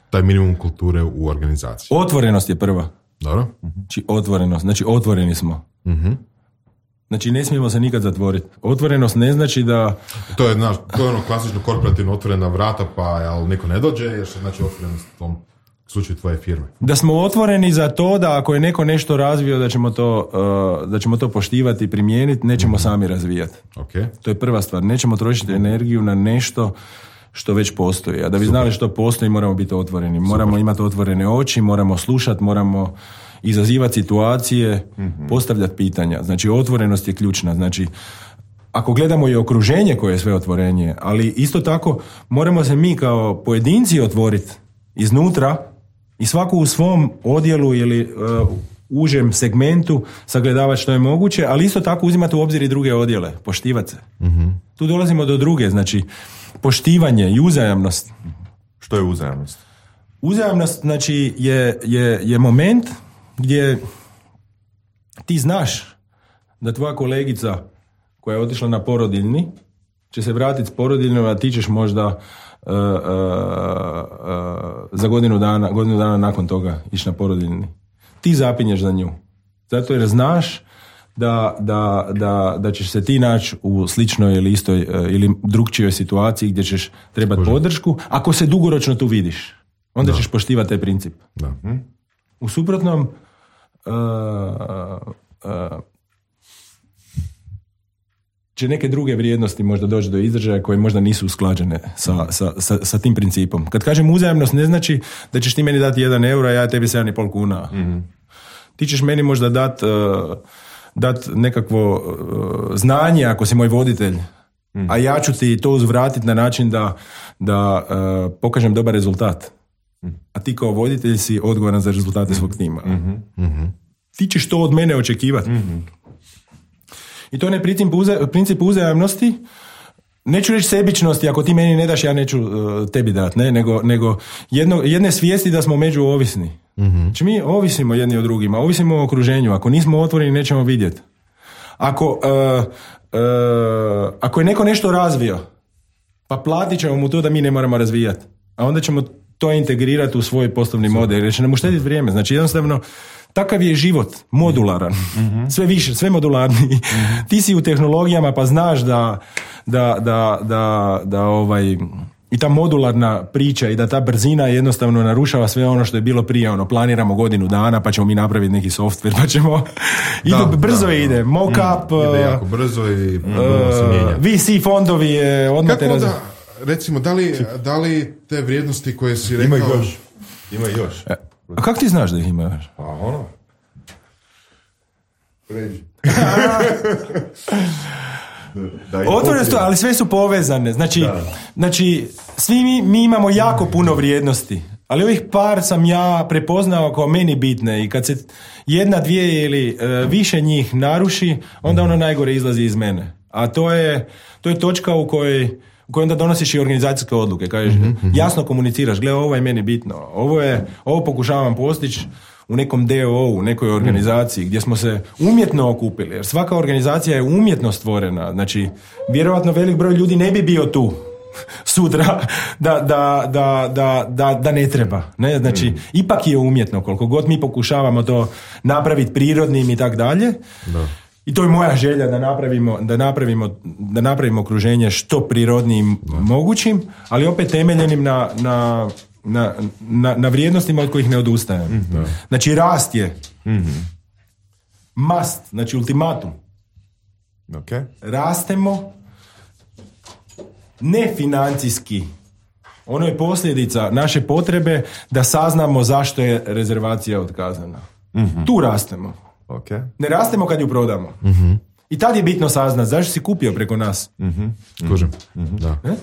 taj minimum kulture u organizaciji? Otvorenost je prva. Dobro. Znači otvorenost. Znači otvoreni smo. Mm-hmm. Znači, ne smijemo se nikad zatvoriti. Otvorenost ne znači da... To je, znaš, to je ono klasično korporativno otvorena vrata, pa ali niko ne dođe, jer se znači otvorenost u tom slučaju tvoje firme. Da smo otvoreni za to da ako je neko nešto razvio, da ćemo to, uh, da ćemo to poštivati i primijeniti, nećemo mm-hmm. sami razvijati. Okay. To je prva stvar. Nećemo trošiti energiju na nešto što već postoji. A da bi Super. znali što postoji, moramo biti otvoreni. Moramo Super. imati otvorene oči, moramo slušati, moramo izazivati situacije, mm-hmm. postavljati pitanja. Znači, otvorenost je ključna. Znači, ako gledamo i okruženje koje je sve otvorenje, ali isto tako moramo se mi kao pojedinci otvoriti iznutra i svako u svom odjelu ili uh, užem segmentu sagledavati što je moguće, ali isto tako uzimati u obzir i druge odjele, poštivati se. Mm-hmm. Tu dolazimo do druge, znači poštivanje i uzajamnost. Što je uzajamnost? Uzajamnost, znači, je, je, je moment gdje ti znaš da tvoja kolegica koja je otišla na porodiljni će se vratiti s porodiljnom, a ti ćeš možda uh, uh, uh, za godinu dana, godinu dana nakon toga ići na porodiljni. Ti zapinješ za nju. Zato jer znaš da, da, da, da ćeš se ti naći u sličnoj ili istoj uh, ili drugčijoj situaciji gdje ćeš trebati podršku. Ako se dugoročno tu vidiš, onda da. ćeš poštivati taj princip. Da. Hm? U suprotnom uh, uh, će neke druge vrijednosti možda doći do izražaja koje možda nisu usklađene sa, sa, sa, sa tim principom. Kad kažem uzajamnost, ne znači da ćeš ti meni dati jedan euro, a ja tebi sedam i pol kuna. Mm-hmm. Ti ćeš meni možda dati uh, dat nekakvo uh, znanje ako si moj voditelj, mm-hmm. a ja ću ti to uzvratiti na način da, da uh, pokažem dobar rezultat. A ti kao voditelj si odgovoran za rezultate svog tima. Mm-hmm. Mm-hmm. Ti ćeš to od mene očekivati. Mm-hmm. I to je princip, uza, princip uzajamnosti. Neću reći sebičnosti, ako ti meni ne daš, ja neću uh, tebi dati, ne? nego, nego jedno, jedne svijesti da smo međuovisni. Mm-hmm. Znači mi ovisimo jedni od drugima, ovisimo o okruženju. Ako nismo otvoreni, nećemo vidjeti. Ako, uh, uh, ako je neko nešto razvio, pa platit ćemo mu to da mi ne moramo razvijati. A onda ćemo to integrirati u svoj poslovni model, jer će nam uštediti vrijeme. Znači jednostavno, takav je život, modularan, mm-hmm. sve više, sve modularniji. Mm-hmm. Ti si u tehnologijama pa znaš da, da, da, da, da ovaj, i ta modularna priča i da ta brzina jednostavno narušava sve ono što je bilo prije. Ono, planiramo godinu dana pa ćemo mi napraviti neki software pa ćemo... Da, Idu, brzo da, ide, mock-up... Mm, ide jako brzo i uh, se mijenja. V C fondovi je odmah... Kako onda, recimo, da li, da li te vrijednosti koje si rekao... Ima još. Ima još. E. A kako ti znaš da ih ima još? Pa ono. Pređi. Otvoreno su, ali sve su povezane. Znači, znači svi mi, mi imamo jako puno vrijednosti, ali ovih par sam ja prepoznao kao meni bitne i kad se jedna, dvije ili uh, više njih naruši, onda ono najgore izlazi iz mene. A to je, to je točka u kojoj u kojoj onda donosiš i organizacijske odluke. Kažeš, mm-hmm. jasno komuniciraš, gle, ovo je meni bitno, ovo, je, ovo pokušavam postići u nekom D O O, u nekoj organizaciji, mm. gdje smo se umjetno okupili, jer svaka organizacija je umjetno stvorena. Znači, vjerojatno velik broj ljudi ne bi bio tu sutra da, da, da, da, da, da ne treba. Ne? Znači, mm. ipak je umjetno, koliko god mi pokušavamo to napraviti prirodnim i tak dalje. Da. I to je moja želja da napravimo, da napravimo, da napravimo okruženje što prirodnijim da. mogućim, ali opet temeljenim na, na, na, na, na vrijednostima od kojih ne odustajem. Mm-hmm. Znači rast je mm-hmm. must, znači ultimatum. Okay. Rastemo ne financijski. Ono je posljedica naše potrebe da saznamo zašto je rezervacija otkazana. Mm-hmm. Tu rastemo. Okay. Ne rastemo kad ju prodamo. Mm-hmm. I tad je bitno saznat zašto si kupio preko nas. Mm-hmm. Kužem. Mm-hmm. Da. Ne?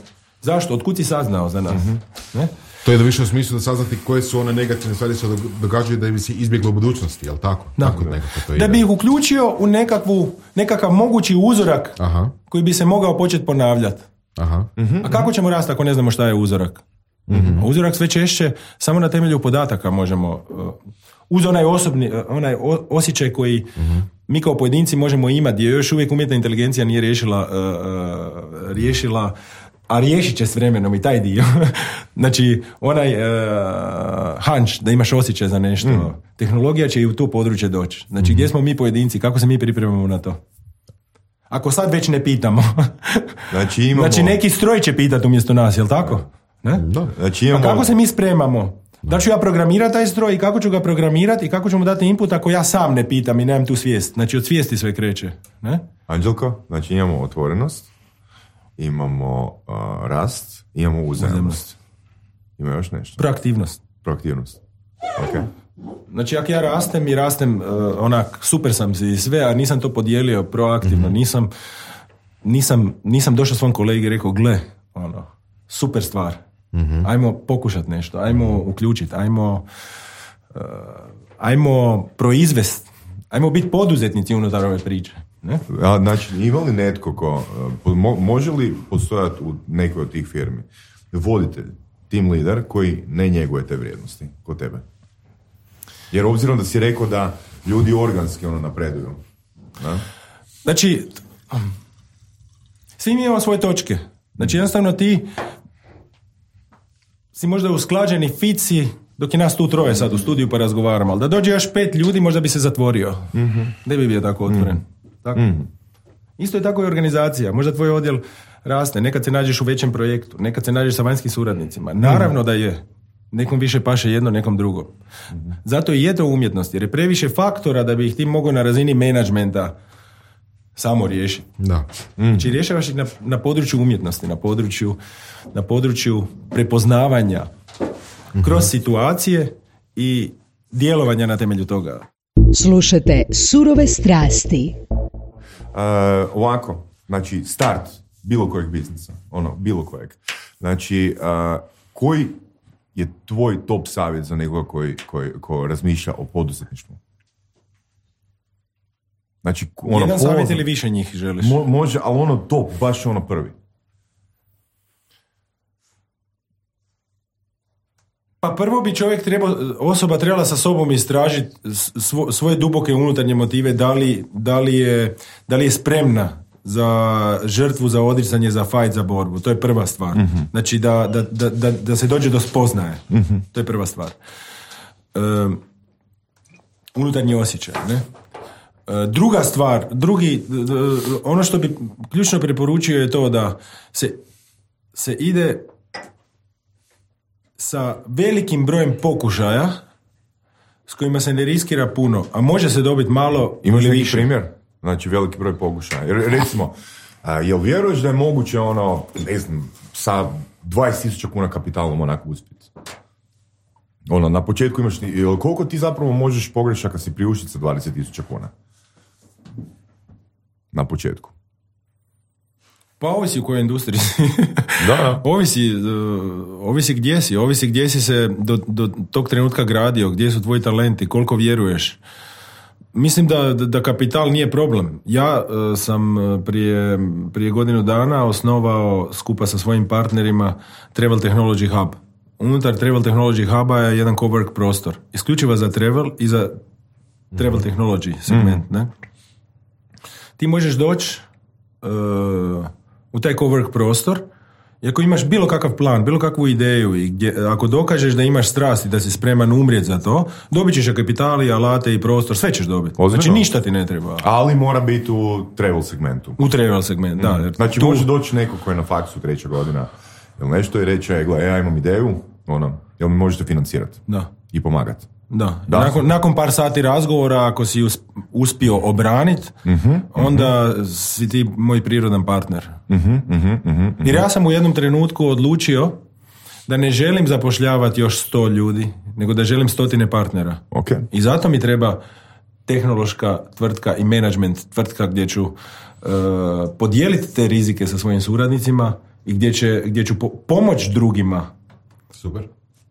Zašto? Otkud si saznao za nas? Mm-hmm. Ne? To je da više u smislu da saznati koje su one negativne stvari se događaju da bi se izbjeglo u budućnosti, jel tako? tako to da bi ih uključio u nekakvu, nekakav mogući uzorak Aha. koji bi se mogao početi ponavljati. Aha. Mm-hmm. A kako ćemo rasti ako ne znamo šta je uzorak? Mm-hmm. Uzorak sve češće samo na temelju podataka možemo... Uh, uz onaj osobni, onaj osjećaj koji mm-hmm. mi kao pojedinci možemo imati, gdje još uvijek umjetna inteligencija nije riješila, uh, riješila, a riješit će s vremenom i taj dio. Znači, onaj uh, hunch, da imaš osjećaj za nešto. Mm. Tehnologija će i u to područje doći. Znači, mm-hmm. gdje smo mi pojedinci, kako se mi pripremamo na to? Ako sad već ne pitamo. Znači, imamo... znači neki stroj će pitati umjesto nas, jel tako? Ne? Da. Znači, imamo... A kako se mi spremamo? Da ću ja programirati taj stroj i kako ću ga programirati i kako ću mu dati input ako ja sam ne pitam i nemam tu svijest. Znači od svijesti sve kreće. Ne? Anđelko, znači imamo otvorenost, imamo uh, rast, imamo uzajamnost. Ima još nešto? Proaktivnost. Proaktivnost. Ok. Znači ako ja rastem i rastem uh, onak, super sam si i sve, a nisam to podijelio proaktivno, mm-hmm. nisam, nisam, nisam došao svom kolegi i rekao, gle, ono, super stvar. Mm-hmm. Ajmo pokušati nešto, ajmo uključiti, ajmo uh, ajmo proizvesti, ajmo biti poduzetnici unutar ove priče. Ne? A, znači, ima li netko ko, uh, mo, može li postojati u nekoj od tih firmi voditelj, team leader koji ne njeguje te vrijednosti kod tebe? Jer obzirom da si rekao da ljudi organski ono napreduju. Da? Znači, svi mi imamo svoje točke. Znači, jednostavno ti si možda usklađeni fici dok je nas tu troje sad u studiju pa razgovaramo, ali da dođe još pet ljudi možda bi se zatvorio. Mm-hmm. Ne bi bio tako otvoren. Mm-hmm. Tako? Mm-hmm. Isto je tako i organizacija. Možda tvoj odjel raste, nekad se nađeš u većem projektu, nekad se nađeš sa vanjskim suradnicima. Naravno da je. Nekom više paše jedno, nekom drugo. Mm-hmm. Zato i je to umjetnost, jer je previše faktora da bi ih ti mogao na razini menadžmenta samo riješiti. Da. Mm. Znači rješavaš ih na, na području umjetnosti, na području, na području prepoznavanja mm-hmm. kroz situacije i djelovanja na temelju toga. Slušajte Surove strasti. Uh, ovako, znači start bilo kojeg biznisa, ono, bilo kojeg. Znači, uh, koji je tvoj top savjet za nekoga koji, koji, koji razmišlja o poduzetništvu? Znači, ono, jedan savjet ili više njih želiš? Mo, može, ali ono top, baš ono prvi. Pa prvo bi čovjek trebao, osoba trebala sa sobom istražiti svo, svoje duboke unutarnje motive, da li, da li, je, da li je spremna za žrtvu, za odricanje, za fight, za borbu. To je prva stvar. Mm-hmm. Znači da, da, da, da, da se dođe do spoznaje. Mm-hmm. To je prva stvar. Um, unutarnji osjećaj, ne? Druga stvar, drugi, ono što bi ključno preporučio je to da se, se ide sa velikim brojem pokušaja s kojima se ne riskira puno, a može se dobiti malo. Imaš ili neki više. primjer? Znači veliki broj pokušaja. Jer, recimo, a, jel vjeruješ da je moguće ono, ne znam, sa dvadeset tisuća kuna kapitalom onako uspjeti? Ono, na početku imaš, jel, koliko ti zapravo možeš pogrešaka si priuštiti sa dvadeset tisuća kuna? Na početku. Pa ovisi u kojoj industriji si. Da. ovisi, uh, ovisi gdje si, ovisi gdje si se do, do tog trenutka gradio, gdje su tvoji talenti, koliko vjeruješ. Mislim da, da kapital nije problem. Ja uh, sam prije, prije godinu dana osnovao skupa sa svojim partnerima Travel Technology Hub. Unutar Travel Technology Huba je jedan cowork prostor. Isključivo za travel i za travel technology segment. Mm. Ne? Ti možeš doći uh, u taj cowork prostor i ako imaš bilo kakav plan, bilo kakvu ideju i gdje, ako dokažeš da imaš strast i da si spreman umrijeti za to, dobit ćeš kapitali, alate i prostor, sve ćeš dobiti. Ozbiljno? Znači ništa ti ne treba. Ali mora biti u travel segmentu. U travel segmentu, mm. da. Jer znači tu... može doći neko koji je na faksu treća godina ili nešto i reći, gle, ja imam ideju, ono, jel mi možete financirati? Da. I pomagati. Da. da. Nakon, nakon par sati razgovora, ako si uspio obraniti, uh-huh, onda uh-huh. si ti moj prirodan partner. Uh-huh, uh-huh, uh-huh. Jer ja sam u jednom trenutku odlučio da ne želim zapošljavati još sto ljudi, nego da želim stotine partnera. Okay. I zato mi treba tehnološka tvrtka i management tvrtka gdje ću uh, podijeliti te rizike sa svojim suradnicima i gdje, će, gdje ću po- pomoći drugima. Super.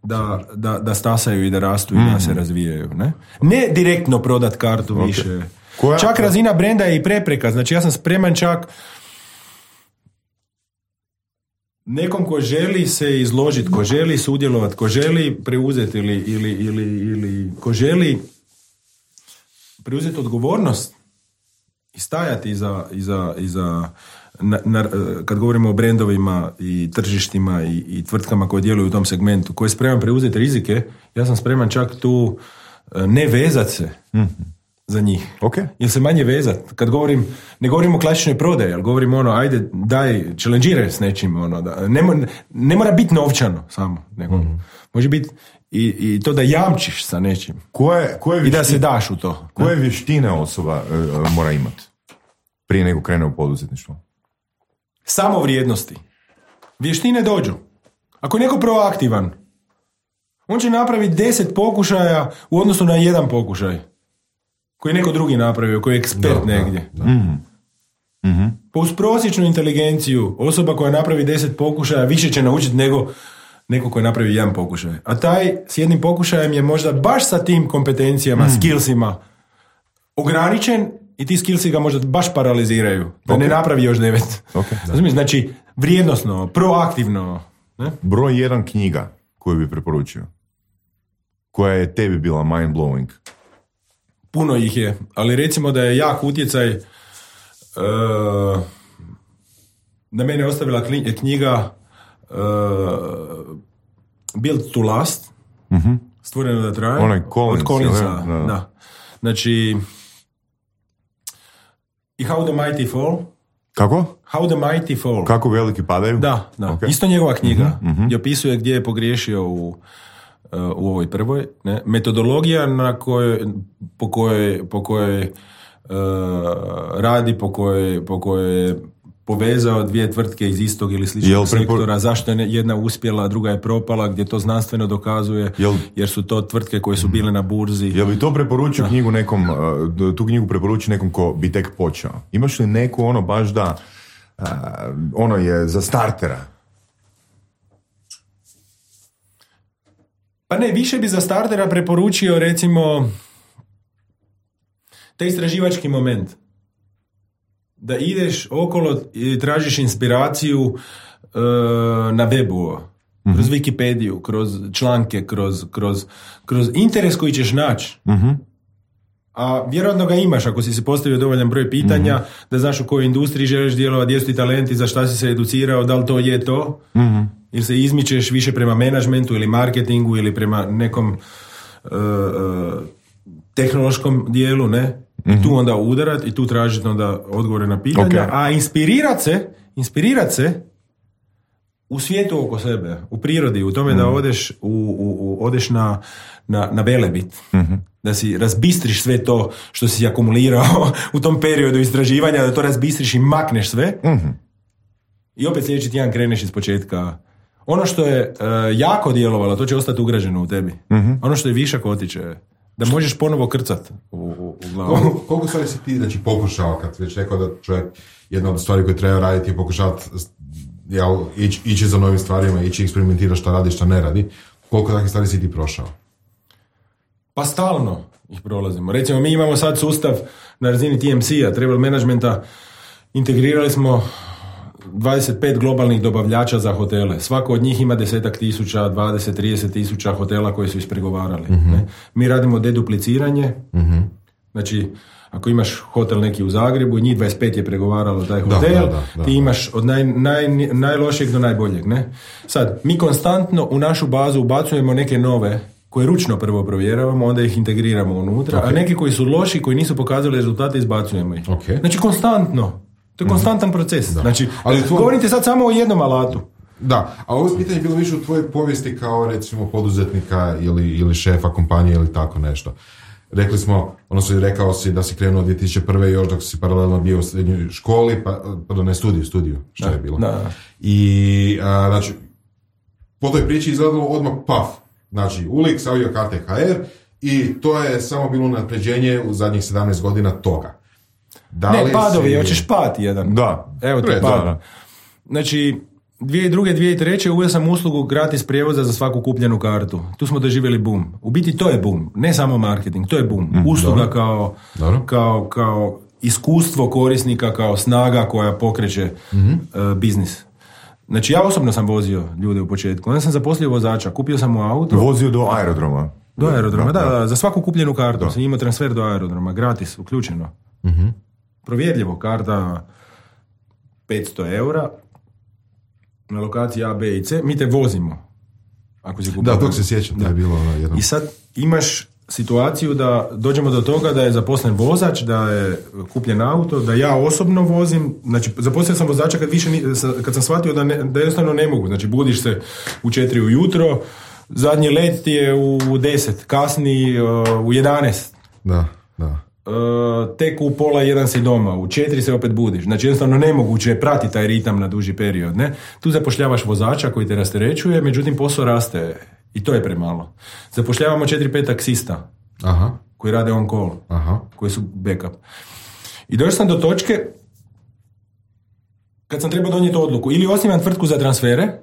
Da, da, da stasaju i da rastu i mm. da se razvijaju. Ne, ne direktno prodat kartu okay. više. Koja? Čak razina brenda je i prepreka. Znači ja sam spreman čak nekom ko želi se izložiti, ko želi sudjelovati, ko želi preuzeti ili, ili, ili, ili ko želi preuzeti odgovornost i stajati iza, iza, iza Na, na, kad govorimo o brendovima i tržištima i, i tvrtkama koje djeluju u tom segmentu, koji je spreman preuzeti rizike, ja sam spreman čak tu ne vezat se, mm-hmm. za njih. Ok. Ili se manje vezat. Kad govorim, ne govorim o klasičnoj prodaji, ali govorim ono, ajde, daj, challengeiraj s nečim, ono, da, ne, mo- ne mora biti novčano samo, nego mm-hmm. može biti i, i to da jamčiš sa nečim. Koje, koje I da vještine- se daš u to. Koje vještine osoba uh, mora imati prije nego krene u poduzetništvo? Samo vrijednosti. Vještine dođu. Ako je neko proaktivan, on će napraviti deset pokušaja u odnosu na jedan pokušaj koji je neko drugi napravio, koji je ekspert Da, negdje. da, da. Mm-hmm. Pa uz prosječnu inteligenciju osoba koja napravi deset pokušaja više će naučiti nego neko koji napravi jedan pokušaj. A taj s jednim pokušajem je možda baš sa tim kompetencijama, mm. skillsima ograničen i ti skillsi ga možda baš paraliziraju. Da Ok. ne napravi još devet. Okay. Razumiješ? Znači, vrijednosno, proaktivno. Ne? Broj jedan knjiga koju bi preporučio. Koja je tebi bila mind blowing? Puno ih je, ali recimo da je jak utjecaj uh, da mene ostavila kli- knjiga uh, Built to Last, Mm-hmm. stvoreno da traje. Onaj Collins, od Collinsa, jel? Da, da. da. Znači, i How the Mighty Fall. Kako? How the Mighty Fall. Kako veliki padaju? Da, da. Ok. Isto njegova knjiga, Mhm, mhm. gdje opisuje gdje je pogriješio u, uh, u ovoj prvoj. Ne? Metodologija na kojoj, po kojoj, po kojoj uh, radi, po kojoj, po kojoj je povezao dvije tvrtke iz istog ili Jel sličnog prepor- sektora, zašto je jedna uspjela, a druga je propala, gdje to znanstveno dokazuje, Jel- jer su to tvrtke koje su bile na burzi. Jel bi to preporučio knjigu nekom, uh, tu knjigu preporučio nekom ko bi tek počeo? Imaš li neku ono baš da, uh, ono je za startera? Pa ne, više bi za startera preporučio recimo taj istraživački moment. Da ideš okolo i tražiš inspiraciju uh, na webu, kroz Wikipediju, kroz članke, kroz, kroz, kroz interes koji ćeš naći. Mm-hmm. A vjerojatno ga imaš ako si si postavio dovoljan broj pitanja, mm-hmm. da znaš u kojoj industriji želiš djelovati, gdje su ti talenti, za šta si se educirao, da li to je to, Mm-hmm. ili se izmičeš više prema menadžmentu ili marketingu ili prema nekom uh, uh, tehnološkom dijelu, ne? Mm-hmm. I tu onda udarat i tu tražiti onda odgovore na pitanja, Okay. a inspirirat se, inspirirat se u svijetu oko sebe, u prirodi, u tome mm-hmm. da odeš, u, u, u, odeš na, na, na Velebit, mm-hmm. da si razbistriš sve to što si akumulirao u tom periodu istraživanja, da to razbistriš i makneš sve. Mm-hmm. I opet sljedeći tjedan kreneš iz početka. Ono što je uh, jako djelovalo, to će ostati ugrađeno u tebi. Mm-hmm. Ono što je višak otiče, da možeš ponovo krcat u, u, u glavu. Koliko, koliko stvari si ti znači, pokušao, kad već rekao da čovjek jedna od stvari koje treba raditi je pokušati jel, ići, ići za novim stvarima, ići eksperimentirati šta radi, šta ne radi. Koliko takvih stvari si ti prošao? Pa stalno ih prolazimo. Recimo, mi imamo sad sustav na razini T M C-a, travel managementa, integrirali smo dvadeset pet globalnih dobavljača za hotele. Svako od njih ima desetak tisuća, dvadeset, trideset tisuća hotela koji su ispregovarali. Mm-hmm. Ne? Mi radimo dedupliciranje. Mm-hmm. Znači, ako imaš hotel neki u Zagrebu i njih dvadeset pet je pregovaralo taj hotel, da, da, da, ti da. imaš od naj, naj, najlošijeg do najboljeg. Ne? Sad, mi konstantno u našu bazu ubacujemo neke nove koje ručno prvo provjeravamo, onda ih integriramo unutra, okay. a neki koji su loši, koji nisu pokazali rezultate, izbacujemo ih. Okay. Znači, konstantno. To je konstantan proces. Da. Znači, ali tvoj... govorite sad samo o jednom alatu. Da, a ovo pitanje je bilo više u tvojoj povijesti kao recimo poduzetnika ili, ili šefa kompanije ili tako nešto. Rekli smo, odnosno rekao si da si krenuo dvije tisuće prve još dok si paralelno bio u srednjoj školi, pa, pardon, ne studiju, studiju, što da, je bilo. Da. I, a, znači, po toj priči izgledalo odmah paf. Znači, U L X, Aviokarte, H R i to je samo bilo napređenje u zadnjih sedamnaest godina toga. Da ne, li padovi, si... hoćeš pad jedan. Da. Evo ti Red, pad. da, da. Znači, dvije tisuće druge, dvije tisuće treće uveo sam uslugu gratis prijevoza za svaku kupljenu kartu. Tu smo doživjeli boom. U biti to je boom, ne samo marketing, to je boom. Mm, Usluga dobro. Kao, dobro. kao, kao iskustvo korisnika, kao snaga koja pokreće mm-hmm. uh, biznis. Znači, ja osobno sam vozio ljude u početku. Onda sam zaposlio vozača, kupio sam mu auto. Vozio do aerodroma. Do aerodroma, da, da, da, za svaku kupljenu kartu. Da. Sam imao transfer do aerodroma, gratis, uključeno. Mm-hmm. Provjerljivo, karta petsto eura, na lokaciji A, B i C, mi te vozimo. Ako si kupio. Da, tog se sjećam, to je bilo ono jedno. I sad imaš situaciju da dođemo do toga da je zaposlen vozač, da je kupljen auto, da ja osobno vozim, znači zaposlio sam vozača kad, više, kad sam shvatio da, ne, da jednostavno ne mogu, znači budiš se u četiri ujutro, zadnji let ti je u deset, kasni uh, u jedanaest. Da, da. Uh, tek u pola jedan si doma, u četiri se opet budiš. Znači jednostavno nemoguće je pratiti taj ritam na duži period. Ne? Tu zapošljavaš vozača koji te rasterećuje, međutim posao raste i to je premalo. Zapošljavamo četiri pet taksista. Aha. Koji rade on call. Aha. Koji su backup. I došao sam do točke kad sam trebao donijeti odluku. Ili osnivam tvrtku za transfere,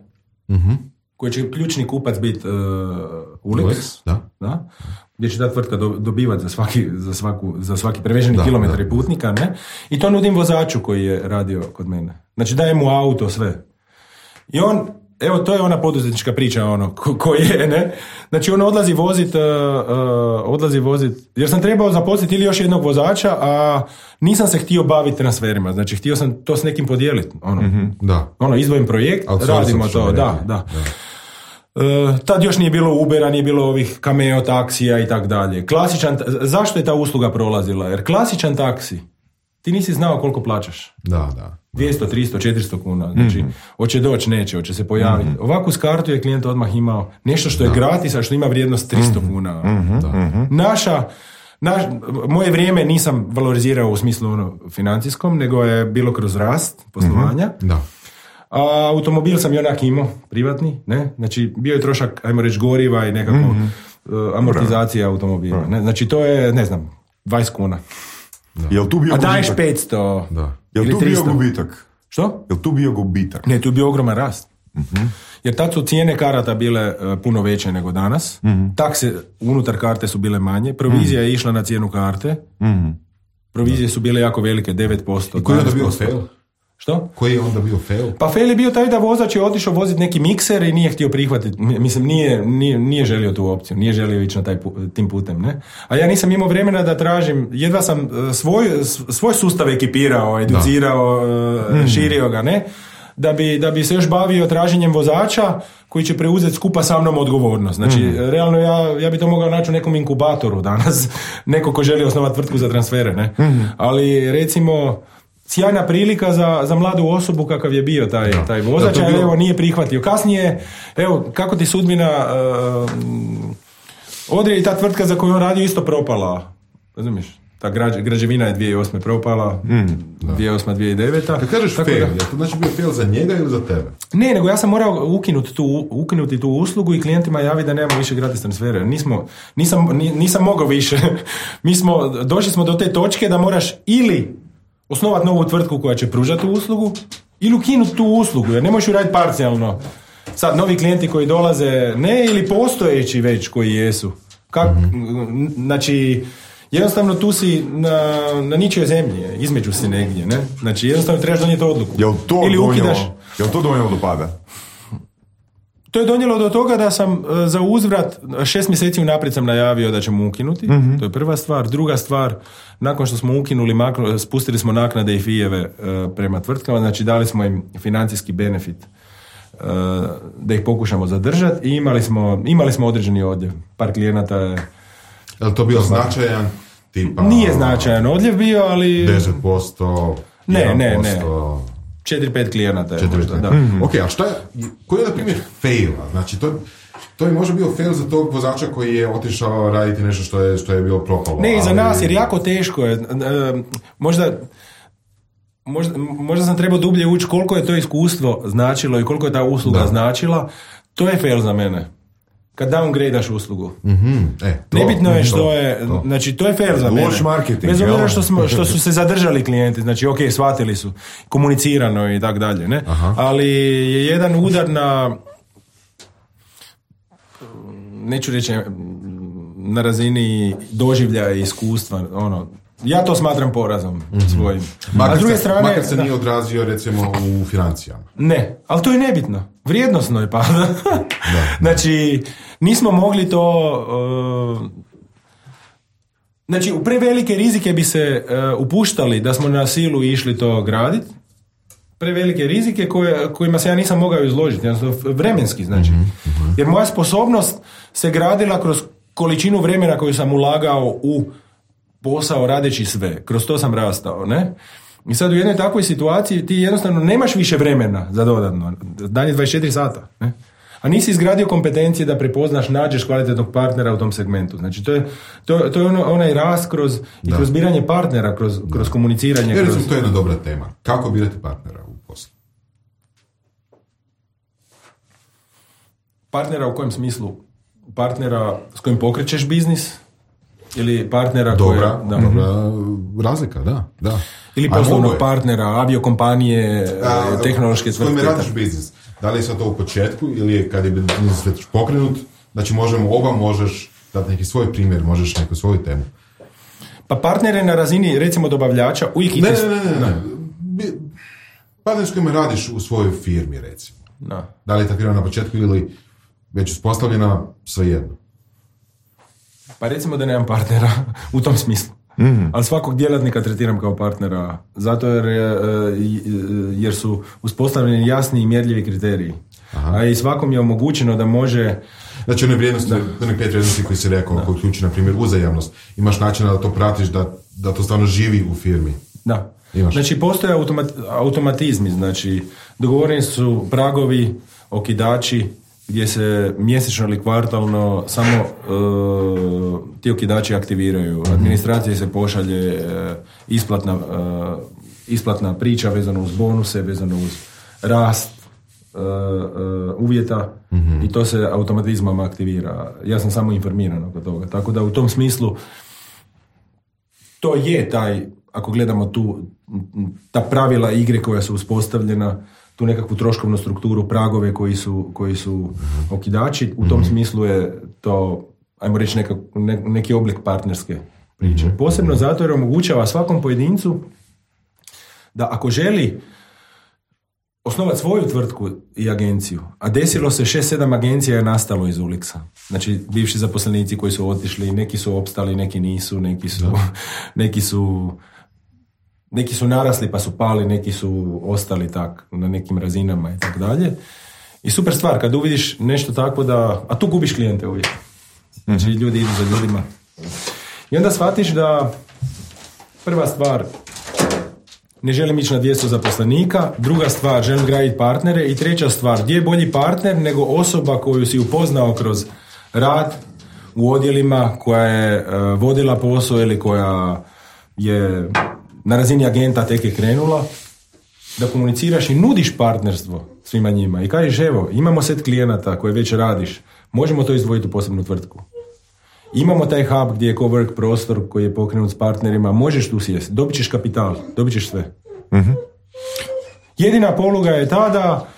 uh-huh. koji će ključni kupac biti uh, Ulix, da. Da, gdje će ta tvrtka do, dobivati za svaki, za svaku, za svaki preveženi da, kilometar i putnika, ne? I to nudim vozaču koji je radio kod mene. Znači dajem mu auto, sve. I on, evo to je ona poduzetnička priča, ono, ko, ko je, ne? Znači on odlazi vozit, uh, uh, odlazi vozit, jer sam trebao zaposliti ili još jednog vozača, a nisam se htio baviti transferima, znači htio sam to s nekim podijeliti, ono. Mm-hmm, da. Ono, izdvojim projekt, radimo to, da, da. da. Uh, tad još nije bilo Ubera, nije bilo ovih Cameo taksija i tak dalje. Klasičan, zašto je ta usluga prolazila? Jer klasičan taksi, ti nisi znao koliko plaćaš. Da, da. dvjesto, tristo, četiristo kuna. Znači, mm-hmm. hoće doći, neće, hoće se pojaviti. Mm-hmm. Ovako s kartu je klijent odmah imao nešto što je da. gratis, a što ima vrijednost tristo mm-hmm. kuna. Mm-hmm. Da. Naša, naš, moje vrijeme nisam valorizirao u smislu ono, financijskom, nego je bilo kroz rast poslovanja. Mm-hmm. Da. A automobil sam i onak imao, privatni, ne? Znači, bio je trošak, ajmo reći, goriva i nekako mm-hmm. uh, amortizacija automobila. Ne? Znači, to je, ne znam, dvadeset kuna. Da. Jel tu bio a daješ petsto. Da. Jel tu bio gubitak? Što? Jel tu bio gubitak? Ne, tu je bio ogroman rast. Uh-huh. Jer tad su cijene karata bile uh, puno veće nego danas. Uh-huh. Takse unutar karte su bile manje. Provizija uh-huh. je išla na cijenu karte. Uh-huh. Provizije su bile jako velike, devet posto. I koji je onda bio fail? Što? Koji je onda bio fail? Pa fail je bio taj da vozač je otišao voziti neki mikser i nije htio prihvatiti. Mislim, nije, nije, nije želio tu opciju. Nije želio ići na taj pu, tim putem, ne? A ja nisam imao vremena da tražim, jedva sam svoj, svoj sustav ekipirao, educirao, da. širio ga, ne? Da bi, da bi se još bavio traženjem vozača koji će preuzeti skupa sa mnom odgovornost. Znači, mm. realno ja, ja bi to mogao naći u nekom inkubatoru danas. Neko ko želi osnovati tvrtku za transfere, ne? Mm. Ali, recimo, sjajna prilika za, za mladu osobu kakav je bio taj, ja. taj vozač, ali bilo... evo nije prihvatio. Kasnije, evo, kako ti sudbina uh, odrije i ta tvrtka za koju on radio isto propala. Razumiješ? Ta građ, građevina je dvije tisuće osme propala, mm, dvije tisuće osma, dvije tisuće deveta. Kad kažeš fail, da... je to znači bio fail za njega ili za tebe? Ne, nego ja sam morao ukinuti tu, ukinuti tu uslugu i klijentima javiti da nemamo više gratis transfere. Nismo, nisam, nisam mogao više. Mi smo, došli smo do te točke da moraš ili osnovati novu tvrtku koja će pružati tu uslugu ili ukinuti tu uslugu, jer ne možeš ju raditi parcijalno. Sad, novi klijenti koji dolaze, ne, ili postojeći već koji jesu. Kak, mm-hmm. Znači, jednostavno tu si na, na ničijoj zemlji, između si negdje, ne? Znači, jednostavno trebaš donijeti odluku. Jel to ili donijelo, ukidaš... jel to donijelo do pada? To je donijelo do toga da sam uh, za uzvrat šest mjeseci unaprijed sam najavio da ćemo ukinuti. Mm-hmm. To je prva stvar. Druga stvar, nakon što smo ukinuli, maknu, spustili smo naknade i fijeve uh, prema tvrtkama, znači dali smo im financijski benefit uh, da ih pokušamo zadržati i imali smo, imali smo određeni odljev. Par klijenata je... Je li to bio značajan? Tipa, nije značajan odljev bio, ali... deset posto, ne, jedan ne, posto... ne. četiri pet klijenata je četiri, možda, da. Mm-hmm. Ok, a šta je, koji je na primjer faila? Znači, to, to je možda bio fail za tog vozača koji je otišao raditi nešto što je, što je bilo propalo. Ne, i za ali... nas, jer jako teško je. Možda, možda, možda sam trebao dublje ući koliko je to iskustvo značilo i koliko je ta usluga da. značila. To je fail za mene. Kad downgradaš uslugu. Mm-hmm. E, to, nebitno je što to, je, to. znači to je fair za mene. Bez obzira što, smo, što su se zadržali klijenti, znači ok, shvatili su, komunicirano i tak dalje, ne? Aha. Ali je jedan udar na, neću reći, na razini doživljaja i iskustva, ono, ja to smatram porazom mm-hmm. svojim. Makar, a s druge strane, makar se da, nije odrazio recimo u financijama. Ne, ali to je nebitno. Vrijednosno je pada. Znači, nismo mogli to... Uh, znači, u prevelike rizike bi se uh, upuštali da smo na silu išli to graditi. Prevelike rizike koje, kojima se ja nisam mogao izložiti. Vremenski, znači. Mm-hmm. Jer moja sposobnost se gradila kroz količinu vremena koju sam ulagao u posao radeći sve. Kroz to sam rastao, ne? I sad u jednoj takvoj situaciji ti jednostavno nemaš više vremena za dodatno. Dan je dvadeset četiri sata, ne? A nisi izgradio kompetencije da prepoznaš, nađeš kvalitetnog partnera u tom segmentu. Znači, to je, to, to je ono, onaj rast kroz, i kroz biranje partnera, kroz, kroz komuniciranje. Jer kroz... to je jedna dobra tema. Kako birati partnera u poslu? Partnera u kojem smislu? Partnera s kojim pokrećeš biznis? Ili partnera dobra, koje... Da. Dobra razlika, da. da. Ili poslovnog partnera, aviokompanije, A, tehnološke tvrtke. S kojim radiš biznis? Da li je sad to u početku ili je kad je biznis već pokrenut? Znači možemo oba, možeš dati neki svoj primjer, možeš neku svoju temu. Pa partnere na razini, recimo, dobavljača, uvijek... Ne, ne, ne, ne. ne. Partner s kojima radiš u svojoj firmi, recimo. Da. Da li je ta firma na početku ili već uspostavljena, svejedno. Pa recimo da nemam partnera u tom smislu. Mm-hmm. Ali svakog djelatnika tretiram kao partnera, zato jer, jer su uspostavljeni jasni i mjerljivi kriteriji. Aha. A i svakom je omogućeno da može... Znači one vrijednosti, da. one pet vrijednosti koji si rekao, koji uključi, na primjer, uzajamnost. Imaš načina da to pratiš, da, da to stvarno živi u firmi. Da. Imaš. Znači postoje automat, automatizmi, znači dogovoreni su pragovi, okidači, gdje se mjesečno ili kvartalno samo uh, ti okidači aktiviraju. Administracije se pošalje uh, isplatna, uh, isplatna priča vezano uz bonuse, vezano uz rast uh, uh, uvjeta mm-hmm. i to se automatizmom aktivira. Ja sam samo informiran oko toga. Tako da u tom smislu to je taj, ako gledamo tu ta pravila igre koja su uspostavljena, tu nekakvu troškovnu strukturu, pragove koji su, koji su okidači, u tom mm-hmm. smislu je to, ajmo reći, neka, ne, neki oblik partnerske priče. Mm-hmm. Posebno zato jer omogućava svakom pojedincu da ako želi osnovati svoju tvrtku i agenciju, a desilo se šest sedam agencija je nastalo iz Ulixa. Znači, bivši zaposlenici koji su otišli, neki su opstali, neki nisu, neki su, neki su Neki su narasli pa su pali, neki su ostali tak na nekim razinama i tako dalje. I super stvar, kad uvidiš nešto tako da... A tu gubiš klijente uvijek. Znači mm-hmm. ljudi idu za ljudima. I onda shvatiš da prva stvar, ne želim ići na dvjesto zaposlenika, druga stvar, želim graditi partnere i treća stvar, gdje je bolji partner nego osoba koju si upoznao kroz rad u odjelima, koja je uh, vodila posao ili koja je... na razini agenta tek je krenula, da komuniciraš i nudiš partnerstvo svima njima i kažeš evo, imamo set klijenata koje već radiš, možemo to izdvojiti u posebnu tvrtku. Imamo taj hub gdje je cowork prostor koji je pokrenut s partnerima, možeš tu sjesti, dobit ćeš kapital, dobit ćeš sve. Mm-hmm. Jedina poluga je ta da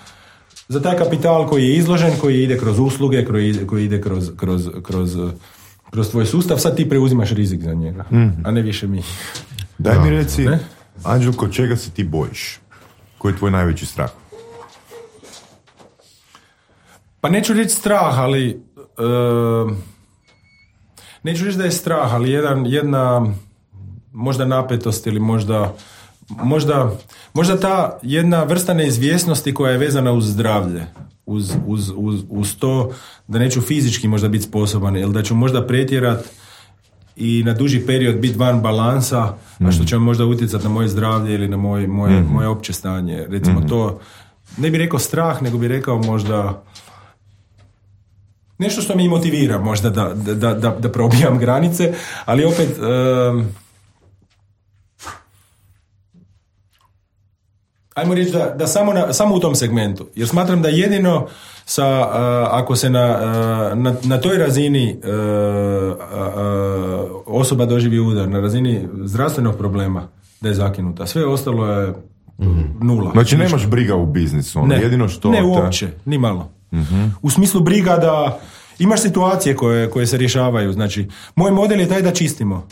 za taj kapital koji je izložen, koji ide kroz usluge, koji, koji ide kroz, kroz, kroz, kroz tvoj sustav, sad ti preuzimaš rizik za njega, mm-hmm. a ne više mi. Daj mi reci, ne? Anđelko, čega se ti bojiš? Koji je tvoj najveći strah? Pa neću reći strah, ali uh, neću reći da je strah, ali jedan, jedna možda napetost ili možda možda, možda ta jedna vrsta neizvjesnosti koja je vezana uz zdravlje, uz, uz, uz, uz to da neću fizički možda biti sposoban ili da ću možda pretjerat i na duži period biti van balansa, mm. a što će možda utjecati na moje zdravlje ili na moj, moje, mm. moje opće stanje. Recimo mm. to, ne bih rekao strah, nego bih rekao možda nešto što me motivira možda da, da, da, da probijam granice, ali opet um, ajmo reći da, da samo, na, samo u tom segmentu, jer smatram da jedino sa, uh, ako se na, uh, na, na toj razini uh, uh, osoba doživi udar, na razini zdravstvenog problema, da je zakinuta. Sve ostalo je mm-hmm. nula. Znači nemaš briga u biznisu, ono, ne, jedino što... Ne, uopće, ni malo. Mm-hmm. U smislu briga da imaš situacije koje, koje se rješavaju, znači, moj model je taj da čistimo.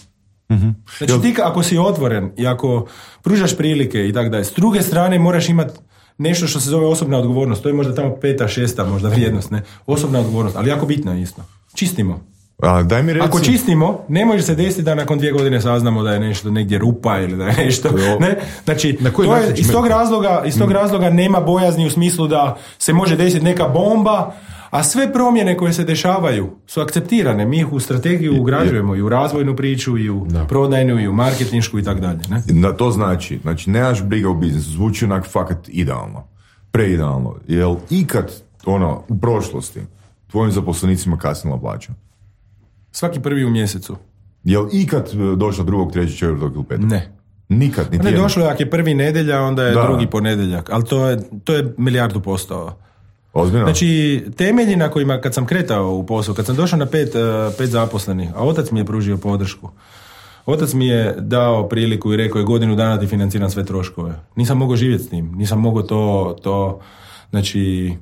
Mm-hmm. Znači ti ako si otvoren i ako pružaš prilike i tako dalje, s druge strane moraš imati nešto što se zove osobna odgovornost, to je možda tamo peta, šesta možda vrijednost, ne? Osobna odgovornost, ali jako bitna isto. Čistimo. A, daj mi reci... Ako čistimo, ne može se desiti da nakon dvije godine saznamo da je nešto negdje rupa ili da je nešto, ne? Znači, to je, iz tog razloga, iz tog razloga nema bojazni u smislu da se može desiti neka bomba, A sve promjene koje se dešavaju su akceptirane. Mi ih u strategiju ugrađujemo i u razvojnu priču, i u da. prodajnu, i u marketinšku i tako dalje. Da, to znači, znači nemaš briga u biznisu, zvuči onak fakat idealno, preidealno. Jel ikad, ono, u prošlosti tvojim zaposlenicima kasnila plaća? Svaki prvi u mjesecu. Jel ikad došlo drugog, trećeg, četvrtog ili petog? Ne. Nikad, niti ne jedno. Došlo je, ako je prvi nedjelja, onda je da. drugi ponedjeljak. Ali to je, to je milijardu posto. Ozbiljno? Znači, temelji na kojima, kad sam kretao u posao, kad sam došao na pet, uh, pet zaposlenih, a otac mi je pružio podršku. Otac mi je dao priliku i rekao je godinu dana ti financiram sve troškove. Nisam mogao živjeti s tim. Nisam mogao to, to, znači,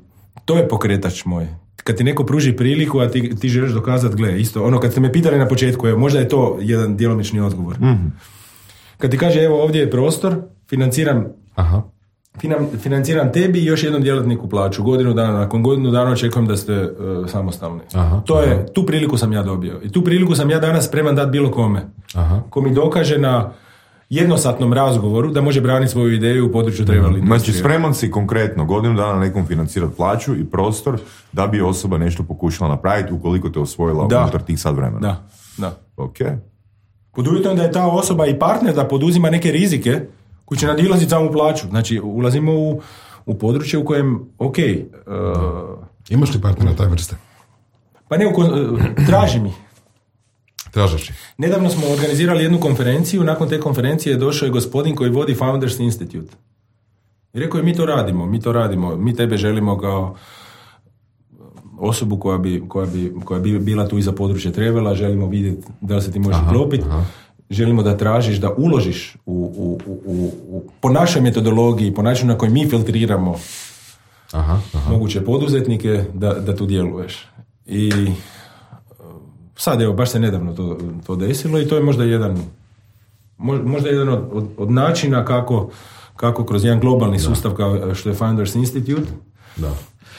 to je pokretač moj. Kad ti neko pruži priliku, a ti, ti želiš dokazati, gle, isto, ono, kad ste me pitali na početku, je, možda je to jedan djelomični odgovor. Mm-hmm. Kad ti kaže, evo, ovdje je prostor, financiram, Aha. Finan, financiram tebi i još jednom djelatniku plaću. Godinu dana, nakon godinu dana očekujem da ste uh, samostalni. Aha, to je, aha. tu priliku sam ja dobio. I tu priliku sam ja danas spreman dati bilo kome. Aha. Ko mi dokaže na jednosatnom razgovoru da može braniti svoju ideju u području trebali. Mm. Znači, spreman si konkretno godinu dana nekom financirati plaću i prostor da bi osoba nešto pokušala napraviti ukoliko te osvojila da. unutar tih sad vremena. Da, da. Ok. Pod uvjetom da je ta osoba i partner da poduzima neke rizike koji će nadilaziti samu plaću. Znači, ulazimo u, u područje u kojem, ok... Uh, Imaš li partnera taj vrste? Pa ne, uh, traži mi. Tražaš ih. Nedavno smo organizirali jednu konferenciju, nakon te konferencije došao je gospodin koji vodi Founders Institute. I rekao je, mi to radimo, mi to radimo, mi tebe želimo kao osobu koja bi, koja bi, koja bi bila tu iza područja trebala, želimo vidjeti da li se ti možeš uklopiti. Želimo da tražiš, da uložiš u, u, u, u, po našoj metodologiji, po načinu na koji mi filtriramo aha, aha. moguće poduzetnike, da, da tu djeluješ. I sad, evo, baš se nedavno to, to desilo i to je možda jedan, možda jedan od, od, od načina kako, kako kroz jedan globalni da. sustav kao što je Founders Institute da.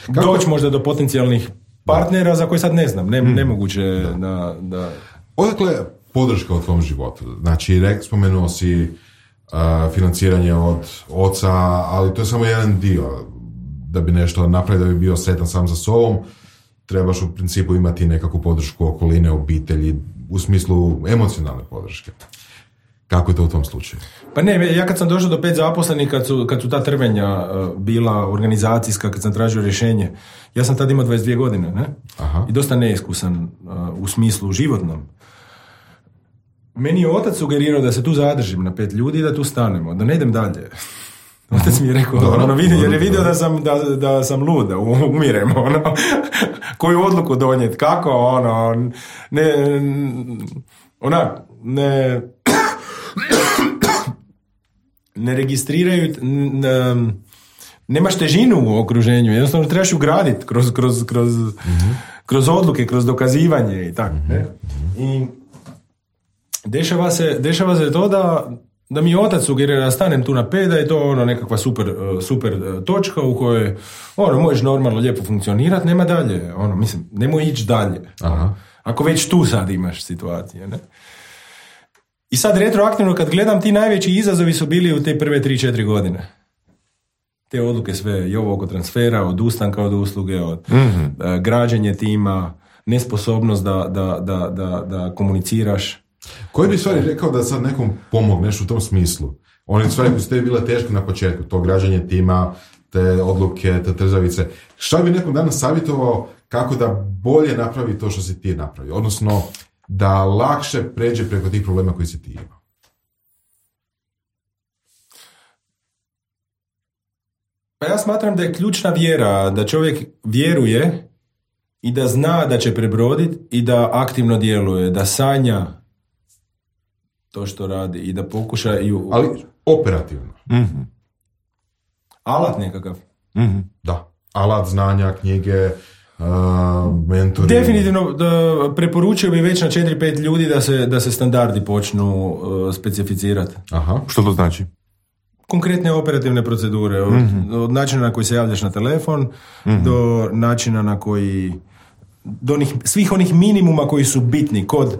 doći možda do potencijalnih partnera da. za koje sad ne znam, ne, hmm. nemoguće da... da, da... Odakle podrška u tvom životu? Znači, rek, spomenuo si uh, financiranje od oca, ali to je samo jedan dio. Da bi nešto napravio, da bi bio sretan sam za sobom, trebaš u principu imati nekakvu podršku okoline, obitelji, u smislu emocionalne podrške. Kako je to u tom slučaju? Pa ne, ja kad sam došao do pet zaposlenih, kad su, kad su ta trvenja uh, bila organizacijska, kad sam tražio rješenje, ja sam tad imao dvadeset dvije godine, ne? Aha. I dosta neiskusan uh, u smislu životnom. Meni je otac sugerirao da se tu zadržim na pet ljudi i da tu stanemo, da ne idem dalje. Otac mi je rekao, dobro, ono, vidi, jer je vidio da sam, da, da sam lud, da umirem, ono, koju odluku donijeti, kako, ono, ne, onak, ne, ne registriraju, ne, nemaš težinu u okruženju, jednostavno trebaš ugraditi kroz, kroz, kroz, mm-hmm. kroz odluke, kroz dokazivanje i tako, ne? I dešava se, dešava se to da da mi otac sugerira da stanem tu na pet, da je to ono nekakva super, super točka u kojoj ono, možeš normalno lijepo funkcionirati, nema dalje, ono, mislim, nemoj ići dalje. Aha. Ako već tu sad imaš situacije, ne? I sad retroaktivno kad gledam, ti najveći izazovi su bili u te prve tri četiri godine. Te odluke sve, i ovo oko transfera, od ustanka od usluge, od mm-hmm. uh, građenje tima, nesposobnost da, da, da, da, da komuniciraš. Koji bi stvari rekao da sad nekom pomogneš u tom smislu? One stvari koje su tebi bile teške na početku, to građanje tima, te odluke, te trzavice. Šta bi nekom danas savjetovao kako da bolje napravi to što si ti napravio? Odnosno, da lakše pređe preko tih problema koji si ti imao? Pa ja smatram da je ključna vjera, da čovjek vjeruje i da zna da će prebroditi i da aktivno djeluje, da sanja to što radi i da pokuša i... U... Ali operativno. Mm-hmm. Alat nekakav. Mm-hmm. Da. Alat, znanja, knjige, uh, mentori. Definitivno da preporučio bi već na četiri pet ljudi da se, da se standardi počnu uh, specificirati. Aha. Što to znači? Konkretne operativne procedure. Od, mm-hmm. od načina na koji se javljaš na telefon mm-hmm. do načina na koji... do onih, svih onih minimuma koji su bitni kod,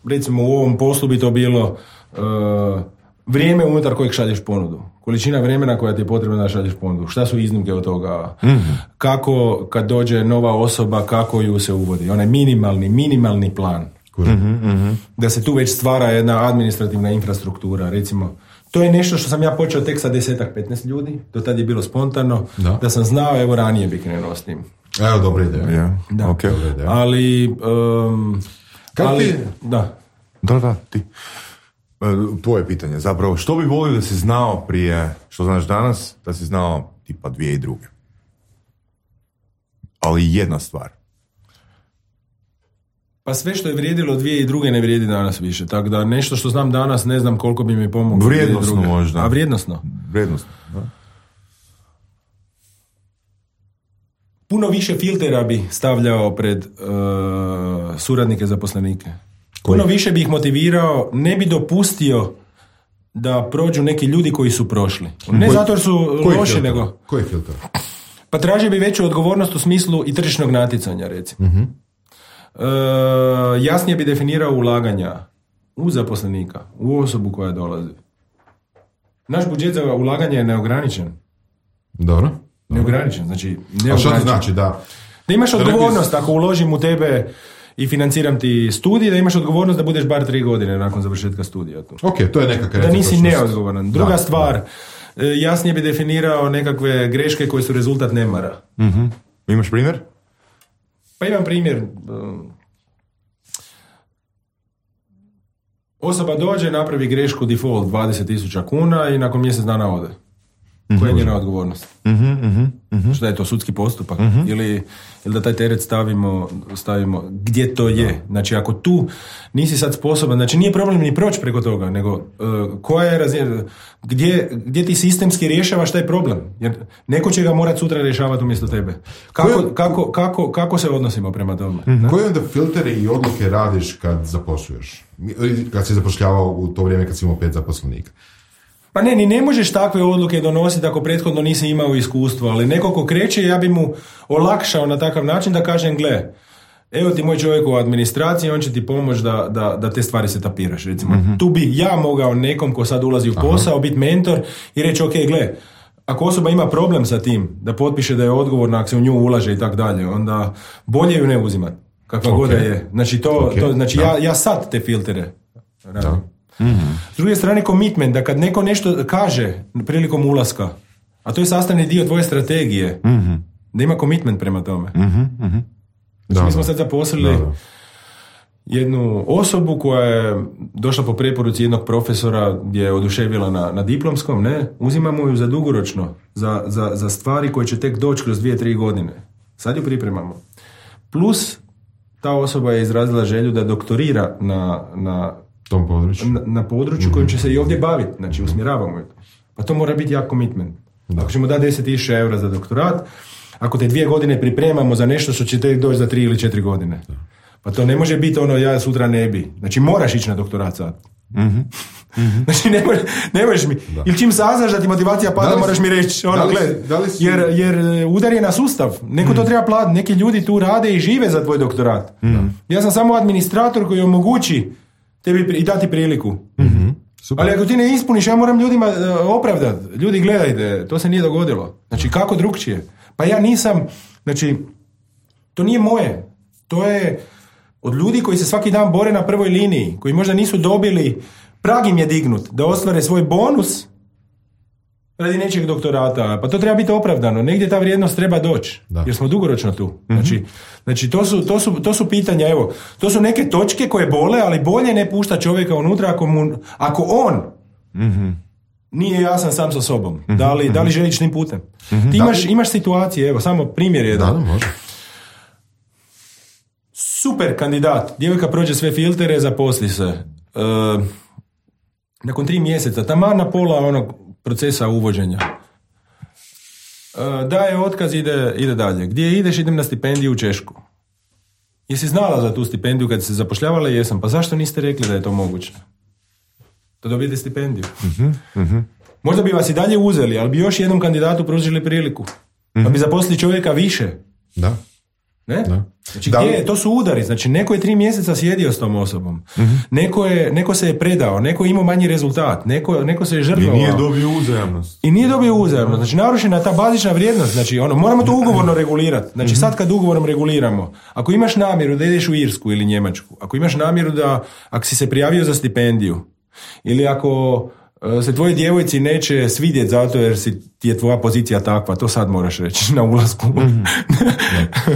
recimo u ovom poslu bi to bilo uh, vrijeme unutar kojeg šalješ ponudu. Količina vremena koja ti je potrebna da šalješ ponudu. Šta su iznimke od toga? Mm-hmm. Kako kad dođe nova osoba, kako ju se uvodi? Onaj minimalni, minimalni plan. Mm-hmm, mm-hmm. Da se tu već stvara jedna administrativna infrastruktura, recimo. To je nešto što sam ja počeo tek sa desetak, petnaest ljudi. Do tad je bilo spontano. Da, da sam znao, evo ranije bi krenuo s tim. Evo, dobra ideja. Yeah. Da. Okay. Dobra ideja. Ali... Um, ali ti... Da. Da, da, ti. Tvoje pitanje, zapravo, što bi volio da si znao prije, što znaš danas, da si znao tipa dvije i druge? Ali jedna stvar. Pa sve što je vrijedilo dvije i druge ne vrijedi danas više, tako da nešto što znam danas ne znam koliko bi mi pomoglo. Vrijednosno možda. A vrijednosno? Vrijednosno, da. Puno više filtera bi stavljao pred uh, suradnike zaposlenike. Puno više bi ih motivirao, ne bi dopustio da prođu neki ljudi koji su prošli. Ne koji, zato jer su loši, filter? nego... Koji filter? Pa tražio bi veću odgovornost u smislu i tržišnog natjecanja, recimo. Uh-huh. E, jasnije bi definirao ulaganja u zaposlenika, u osobu koja dolazi. Naš budžet za ulaganje je neograničen. Dobro. Neograničen, znači... Neograničen. A što to znači? Da, da imaš odgovornost ako uložim u tebe... i financiram ti studij, da imaš odgovornost da budeš bar tri godine nakon završetka studija tu. Ok, to je nekakva... Da nisi neodgovoran. Druga da, stvar, da. jasnije bi definirao nekakve greške koje su rezultat nemara. Mm-hmm. Imaš primjer? Pa imam primjer. Osoba dođe, napravi grešku default dvadeset tisuća kuna i nakon mjesec dana ode. Koja je njena odgovornost? Mm-hmm, mm-hmm. Što je to, sudski postupak? Mm-hmm. Ili, ili da taj teret stavimo, stavimo gdje to je? Znači, ako tu nisi sad sposoban, znači nije problem ni proći preko toga, nego uh, koja je razina, gdje, gdje ti sistemski rješavaš taj problem? Jer neko će ga morati sutra rješavati umjesto tebe. Kako, Koje, kako, kako, kako se odnosimo prema tome? Mm-hmm. Koje onda filtere i odluke radiš kad zaposluješ? Kad si zapošljavao u to vrijeme kad si imao pet zaposlenika? Pa ne, ni ne možeš takve odluke donositi ako prethodno nisi imao iskustvo, ali neko ko kreće, ja bi mu olakšao na takav način da kažem, gle, evo ti moj čovjek u administraciji, on će ti pomoći da, da, da te stvari se tapiraš, recimo. Mm-hmm. Tu bi ja mogao nekom ko sad ulazi u posao, Aha. biti mentor i reći, ok, gle, ako osoba ima problem sa tim, da potpiše da je odgovorna, ako se u nju ulaže i tak dalje, onda bolje ju ne uzimati, kakva okay. god je. Znači, to, okay. to, znači ja, ja sad te filtere radim. Da. Mm-hmm. S druge strane commitment, da kad neko nešto kaže prilikom ulaska, a to je sastavni dio tvoje strategije, mm-hmm. da ima commitment prema tome. Mm-hmm. Mm-hmm. Znači, mi smo sad zaposlili da, da. jednu osobu koja je došla po preporuci jednog profesora gdje je oduševila na, na diplomskom, ne? Uzimamo ju za dugoročno, za, za, za stvari koje će tek doći kroz dvije, tri godine. Sad ju pripremamo. Plus, ta osoba je izrazila želju da doktorira na, na tom području. Na, na području mm-hmm. kojim će se i ovdje baviti, znači usmjeravamo je. Pa to mora biti jak commitment. Da. Ako ćemo dati deset tisuća eura za doktorat, ako te dvije godine pripremamo za nešto što će te doći za tri ili četiri godine. Da. Pa to ne može biti ono ja sutra ne bi. Znači moraš ići na doktorat sad. Mm-hmm. Mm-hmm. Znači ne, može, ne možeš mi. Da. Ili čim saznaš da ti motivacija pada, si, moraš mi reći ono, li, gled, si, jer, jer udar je na sustav. Neko mm. to treba platiti. Neki ljudi tu rade i žive za tvoj doktorat. Mm. Ja sam samo administrator koji omogući tebi i dati priliku. Mm-hmm. Super. Ali ako ti ne ispuniš, ja moram ljudima uh, opravdati. Ljudi, gledajte, to se nije dogodilo. Znači, kako drugčije? Pa ja nisam, znači, to nije moje. To je od ljudi koji se svaki dan bore na prvoj liniji, koji možda nisu dobili, prag im je dignut da ostvare svoj bonus radi nečeg doktorata. Pa to treba biti opravdano. Negdje ta vrijednost treba doći. Da. Jer smo dugoročno tu. Mm-hmm. Znači, znači to, su, to, su, to su pitanja, evo, to su neke točke koje bole, ali bolje ne pušta čovjeka unutra ako, mu, ako on mm-hmm. nije jasan sam sa sobom. Mm-hmm. Da li, da li želiš tim putem? Mm-hmm. Ti imaš, imaš situacije, evo, samo primjer jedan. Da, da, može. Super kandidat. Djevojka prođe sve filtere, zaposli se. E, nakon tri mjeseca, taman na pola onog procesa uvođenja. E, daje otkaz, ide, ide dalje. Gdje ideš? Idem na stipendiju u Češku. Jesi znala za tu stipendiju kad se zapošljavala? Jesam. Pa zašto niste rekli da je to moguće? Da dobijete stipendiju. Mm-hmm, mm-hmm. Možda bi vas i dalje uzeli, ali bi još jednom kandidatu pružili priliku. Mm-hmm. Pa bi zaposlili čovjeka više. Da. Ne? Da. Znači, Da li- gdje je? To su udari. Znači, neko je tri mjeseca sjedio s tom osobom. Mm-hmm. Neko, je, neko se je predao, neko je imao manji rezultat, neko, neko se je I žrtvovao. nije dobio uzajamnost. I nije dobio uzajamno. Znači, narušena ta bazična vrijednost. Znači, ono, moramo to ugovorno regulirati. Znači, sad kad ugovorom reguliramo, ako imaš namjeru da ideš u Irsku ili Njemačku, ako imaš namjeru da, ako si se prijavio za stipendiju, ili ako e, se tvoji djevojci neće svidjeti zato jer si, ti je tvoja pozicija takva, to sad moraš reći na ulasku.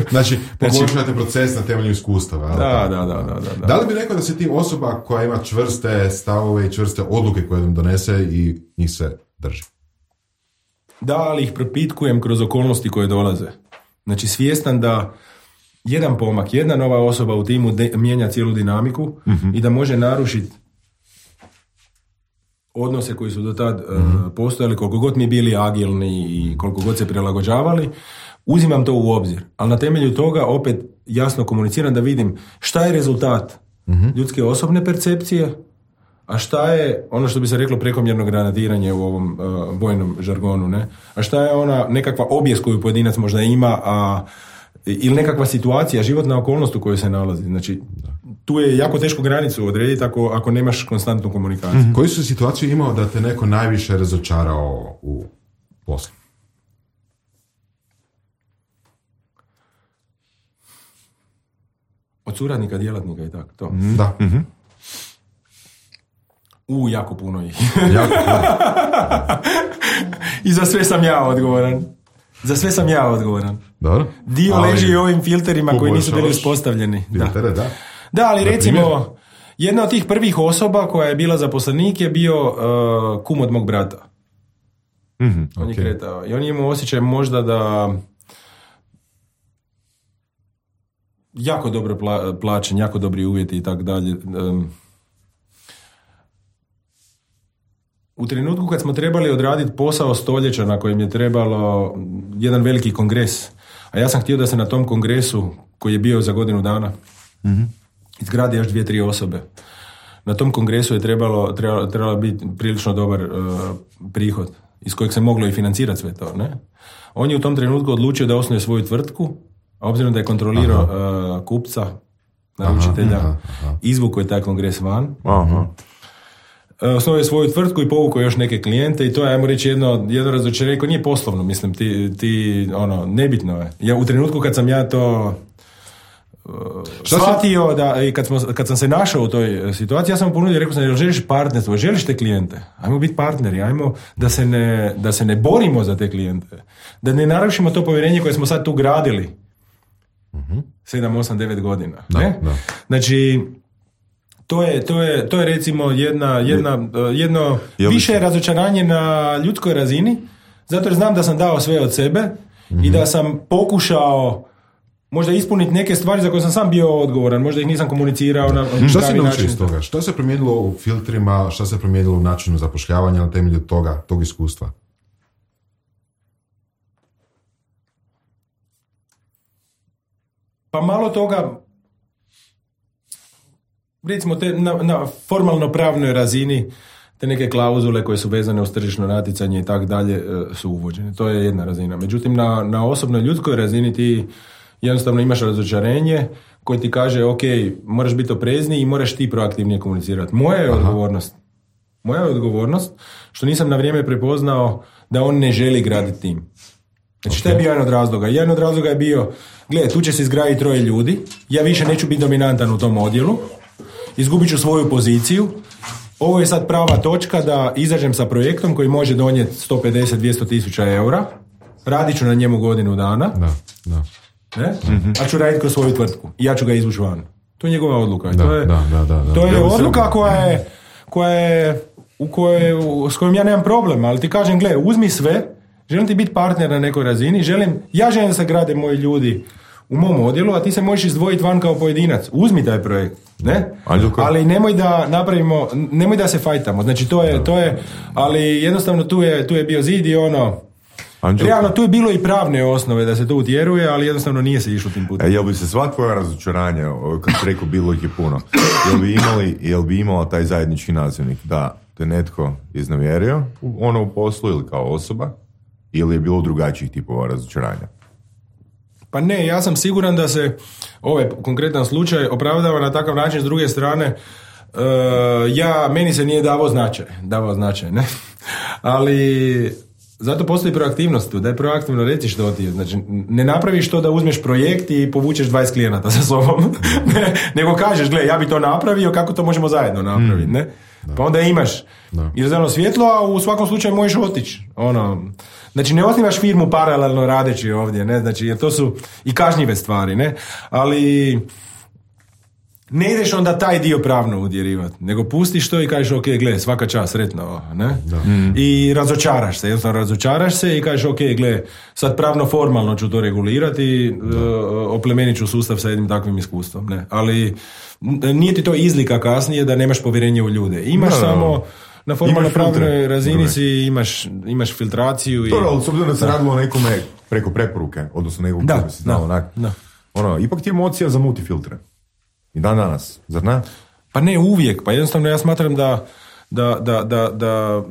Znači, poboljšavate proces na temelju iskustava. jel? Da, da, da, da, da. Da li bi rekao da si ti osoba koja ima čvrste stavove i čvrste odluke koje nam donese i njih se drži? Da, ali ih propitkujem kroz okolnosti koje dolaze. Znači, svjestan da jedan pomak, jedna nova osoba u timu de- mijenja cijelu dinamiku i da može narušiti odnose koji su do tad uh, postojali, koliko god mi bili agilni i koliko god se prilagođavali, uzimam to u obzir. Ali na temelju toga opet jasno komuniciram da vidim šta je rezultat ljudske osobne percepcije, a šta je ono što bi se reklo prekomjerno granatiranje u ovom uh, vojnom žargonu, ne? A šta je ona nekakva objes koju pojedinac možda ima, a ili nekakva situacija, životna okolnost u kojoj se nalazi. Znači, tu je jako teško granicu odrediti ako, ako nemaš konstantnu komunikaciju. Mm-hmm. Koju su situaciju imao da te neko najviše razočarao u poslu? Od suradnika, djelatnika i tako, to. Mm-hmm. Da. Mm-hmm. U, jako puno ih. Jako, I za sve sam ja odgovoran. Za sve sam ja odgovoran. dobro. Dio Ali leži u ovim filterima koji nisu bili poboljšavaš uspostavljeni. filtere, Da. da. Da, ali Na recimo, primjer? jedna od tih prvih osoba koja je bila zaposlenik je bio uh, kum od mog brata. Mm-hmm. On je ok. kretao. I on je imao osjećaj možda da jako dobro pla- plaćen, jako dobri uvjeti i tako dalje. Um, U trenutku kad smo trebali odraditi posao stoljeća na kojem je trebalo jedan veliki kongres, a ja sam htio da se na tom kongresu, koji je bio za godinu dana, mm-hmm. izgradi još dvije, tri osobe. Na tom kongresu je trebalo, trebalo, trebalo biti prilično dobar uh, prihod iz kojeg se moglo i financirati sve to. Ne? On je u tom trenutku odlučio da osnuje svoju tvrtku, a obzirom da je kontrolirao uh, kupca, naručitelja, Aha, aha. izvukao je taj kongres van. Aha. Osnovao je svoju tvrtku i povukao još neke klijente i to je, ajmo reći, jedno, jedno razočarenje koje nije poslovno, mislim, ti, ti, ono, nebitno je. Ja, u trenutku kad sam ja to uh, shvatio, da, i kad, smo, kad sam se našao u toj situaciji, ja sam mu ponudio, rekao sam, jel želiš partnerstvo, želiš te klijente? Ajmo biti partneri, ajmo da se ne, da se ne borimo za te klijente. Da ne narušimo to povjerenje koje smo sad tu gradili. sedam, osam, devet godina. Da, ne? da. Znači, To je, to je, to je recimo jedna, jedna, uh, jedno Jel bi- više razočaranje na ljudskoj razini, zato jer znam da sam dao sve od sebe i da sam pokušao možda ispuniti neke stvari za koje sam sam bio odgovoran, možda ih nisam komunicirao na Šta pravi si naučio način. iz toga? Šta se promijenilo u filtrima, šta se promijenilo u načinu zapošljavanja na temelju toga, tog iskustva? Pa malo toga, recimo te, na, na formalno pravnoj razini, te neke klauzule koje su vezane uz tržišno natjecanje i tak dalje e, su uvođene. To je jedna razina. Međutim, na, na osobnoj ljudskoj razini ti jednostavno imaš razočarenje koje ti kaže, ok, moraš biti oprezniji i moraš ti proaktivnije komunicirati. Moja je odgovornost. Moja je odgovornost što nisam na vrijeme prepoznao da on ne želi graditi tim. Znači, šta je bio jedan od razloga? Jedan od razloga je bio, gledaj, tu će se izgraditi troje ljudi, ja više neću biti dominantan u tom odjelu, izgubit ću svoju poziciju, ovo je sad prava točka da izađem sa projektom koji može donijeti sto pedeset do dvjesto tisuća eura, radit ću na njemu godinu dana, Da, da. ne? Mm-hmm. A ću raditi kroz svoju tvrtku i ja ću ga izvući van. To je njegova odluka. Da, to je, da, da, da, da. to je Ja bi se- odluka koja je, koja je, u kojoj, u- s kojom ja nemam problema, ali ti kažem, gle, uzmi sve, želim ti biti partner na nekoj razini, želim, ja želim da se grade moji ljudi u mom odjelu, a ti se možeš izdvojiti van kao pojedinac. Uzmi taj projekt, ne? Anđelko? Ali nemoj da napravimo, nemoj da se fajtamo. Znači to je, to je, ali jednostavno tu je, tu je bio zid i ono, Anđelko, realno tu je bilo i pravne osnove da se to utjeruje, ali jednostavno nije se išlo tim putem. e, jel bi se sva tvoja razočaranja, o, kad si rekao bilo ih je puno, jel bi imali, jel bi imala taj zajednički nazivnik da te netko iznevjerio, u- ono u poslu ili kao osoba, ili je bilo drugačijih tipova razočaranja? Pa ne, ja sam siguran da se ovaj konkretan slučaj opravdava na takav način. S druge strane, uh, ja, meni se nije davao značaj, davao značaj, ne? Ali zato postoji proaktivnost tu, da je proaktivno reći što ti je. Znači, ne napraviš to da uzmeš projekt i povučeš dvadeset klijenata sa sobom, ne, nego kažeš, gle, ja bi to napravio, kako to možemo zajedno napraviti, ne? Da. Pa onda imaš izdano svjetlo, a u svakom slučaju možeš otići. Ono, znači, ne osnivaš firmu paralelno radeći ovdje, ne? Znači, jer to su i kažnjive stvari, ne? Ali ne ideš onda taj dio pravno udjerivati, nego pustiš to i kažeš, ok, gle, svaka čast, sretno, ne? Mm. I razočaraš se, jednostavno razočaraš se i kažeš, ok, gle, sad pravno formalno ću to regulirati i uh, oplemenit ću sustav sa jednim takvim iskustvom, ne? Ali nije ti to izlika kasnije da nemaš povjerenje u ljude. Imaš no, samo no. na formalno pravnoj razini si imaš, imaš filtraciju. To, i... ali s obzirom da se radilo o nekome preko preporuke, odnosno nekog da, koji si znao, onak, da. Ono, ipak ti je emocija za multifiltre. I dan danas, zar ne? Pa ne uvijek, pa jednostavno ja smatram da da, da, da, da,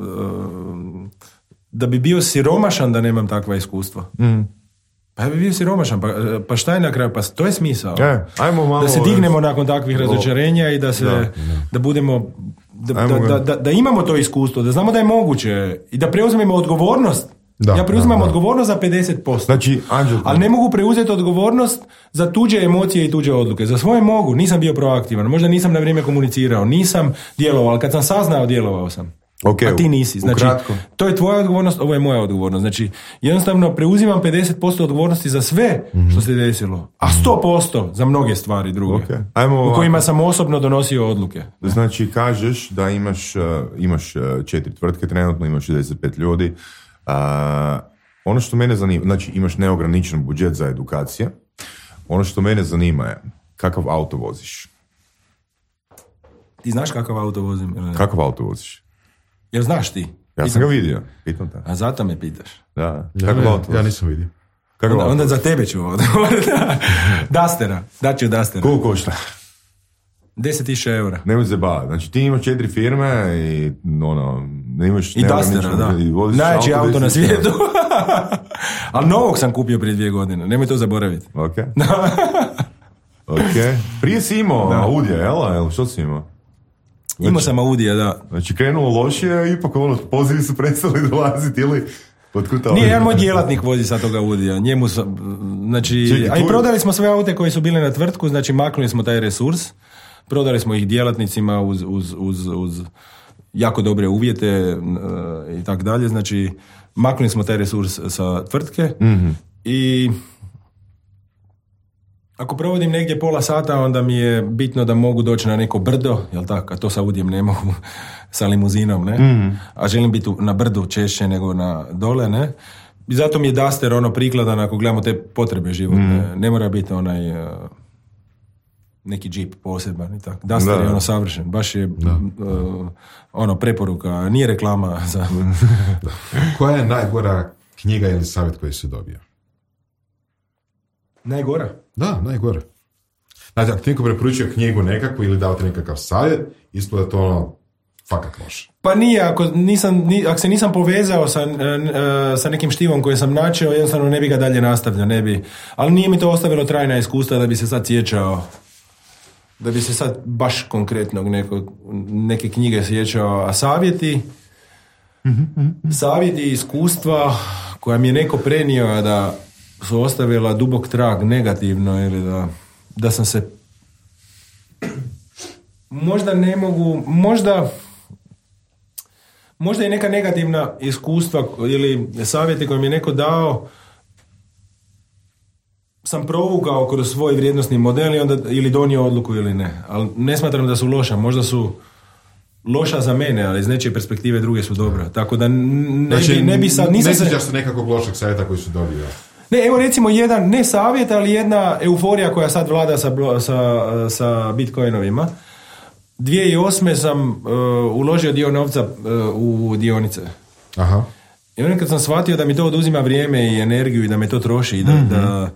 da bi bio siromašan da nemam takva iskustva. Mm. Pa ja bi bio siromašan, pa, pa šta je na kraju? Pa to je smisao. E, ajmo malo, da se dignemo nakon takvih razočarenja i da se da, da budemo da, da, da, da, da imamo to iskustvo, da znamo da je moguće i da preuzmemo odgovornost. Da, ja preuzimam da, da. odgovornost za pedeset posto. Znači, Anđel, ali ne mogu preuzeti odgovornost za tuđe emocije i tuđe odluke. Za svoje mogu, nisam bio proaktivan, možda nisam na vrijeme komunicirao, nisam djelovao, ali kad sam saznao, djelovao sam. Okay, a ti nisi. Znači, ukratko. To je tvoja odgovornost, ovo je moja odgovornost. Znači, jednostavno preuzimam pedeset posto odgovornosti za sve mm-hmm. što se desilo, a sto posto za mnoge stvari druge. Okay. Ajmo u kojima sam osobno donosio odluke. Znači, kažeš da imaš, uh, imaš uh, četiri tvrtke trenutno, imaš šezdeset pet ljudi. Uh, ono što mene zanima, znači imaš neograničen budžet za edukacije. Ono što mene zanima je kakav auto voziš. Ti znaš kakav auto vozim? Ili? Kakav auto voziš? Jel znaš ti? Ja sam ga vidio, pitam te. A zato me pitaš? Da. Ja, kakav ja, auto voziš? Ja nisam vidio. Onda, onda za tebe ću ovdje. Dustera, daću Dustera. Koliko košta? deset tisuća eura. Nemoj se baviti. Znači ti imaš četiri firme i ono, ne imaš... I Dustera, da. Najveći auto, auto na svijetu. Ali novog sam kupio prije dvije godine. Nemoj to zaboraviti. Ok. Ok. Prije si imao da. Audija, jel? Jel? Što si imao? Znači, imao sam Audija, da. Znači krenulo lošije, ipak ono, pozivi su prestali dolaziti ili... Nije, jedan moj djelatnik vozi sad toga Audija. Njemu sam, znači... Čekaj, a i prodali smo sve aute koji su bile na tvrtku, znači maknuli smo taj resurs. Prodali smo ih djelatnicima uz, uz, uz, uz jako dobre uvjete uh, i tako dalje. Znači, maknuli smo taj resurs sa tvrtke mm-hmm. i ako provodim negdje pola sata, onda mi je bitno da mogu doći na neko brdo, jel tako? A to sa Audijem ne mogu, sa limuzinom, ne? Mm-hmm. A želim biti na brdu češće nego na dole, ne? I zato mi je Duster ono prikladan ako gledamo te potrebe životne. Mm-hmm. Ne mora biti onaj... Uh, neki džip poseban i tako. Duster da, je ono savršen. Baš je uh, ono preporuka. Nije reklama za... Koja je najgora knjiga ili savjet koji si dobio? Najgora? Da, najgora. Znači, ako ti neko preporučio knjigu nekakvu ili dao ti nekakav savjet, ispada to ono fakat loše. Pa nije, ako, nisam, ni, ako se nisam povezao sa, uh, sa nekim štivom koji sam načeo, jednostavno ne bi ga dalje nastavljao, ne bi. Ali nije mi to ostavilo trajna iskustva da bi se sad sjećao da bi se sad baš konkretnog neko, neke knjige sjećao, a savjeti mm-hmm. savjeti iskustva koja mi je neko prenio da su ostavila dubok trag negativno ili da, da sam se možda ne mogu možda možda i neka negativna iskustva ili savjeti koje mi je neko dao sam provukao kroz svoj vrijednosni model i onda ili donio odluku ili ne. Ali ne smatram da su loša. Možda su loša za mene, ali iz nečije perspektive druge su dobra. Tako da ne, znači, bi, ne bi sad... Ne sjećaš se nekakvog lošeg savjeta koji su dobio? Ne, evo recimo jedan, ne savjet, ali jedna euforija koja sad vlada sa, sa, sa bitcoinovima. dvije tisuće osme sam uh, uložio dio novca uh, u dionice. Aha. I onda kad sam shvatio da mi to oduzima vrijeme i energiju i da me to troši i da... Mm-hmm. da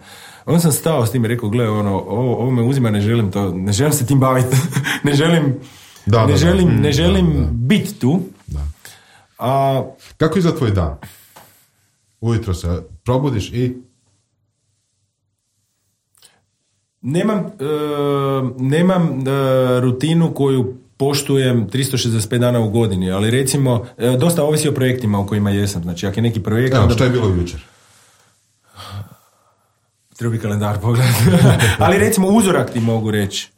onda sam stao s tim i rekao, gle, ono, ovo, ovo me uzima, ne želim to, ne želim se tim baviti, ne želim, da, ne, da, želim da. ne želim da, da. biti tu. Da. A, kako izgleda tvoj dan? Ujutro se probudiš i... Nemam, uh, nemam uh, rutinu koju poštujem tristo šezdeset pet dana u godini, ali recimo, uh, dosta ovisi o projektima u kojima jesam. Znači, ako je neki projekt... Evo, onda... što je bilo jučer? Treba bi kalendar pogledati. Ali recimo, uzorak ti mogu reći.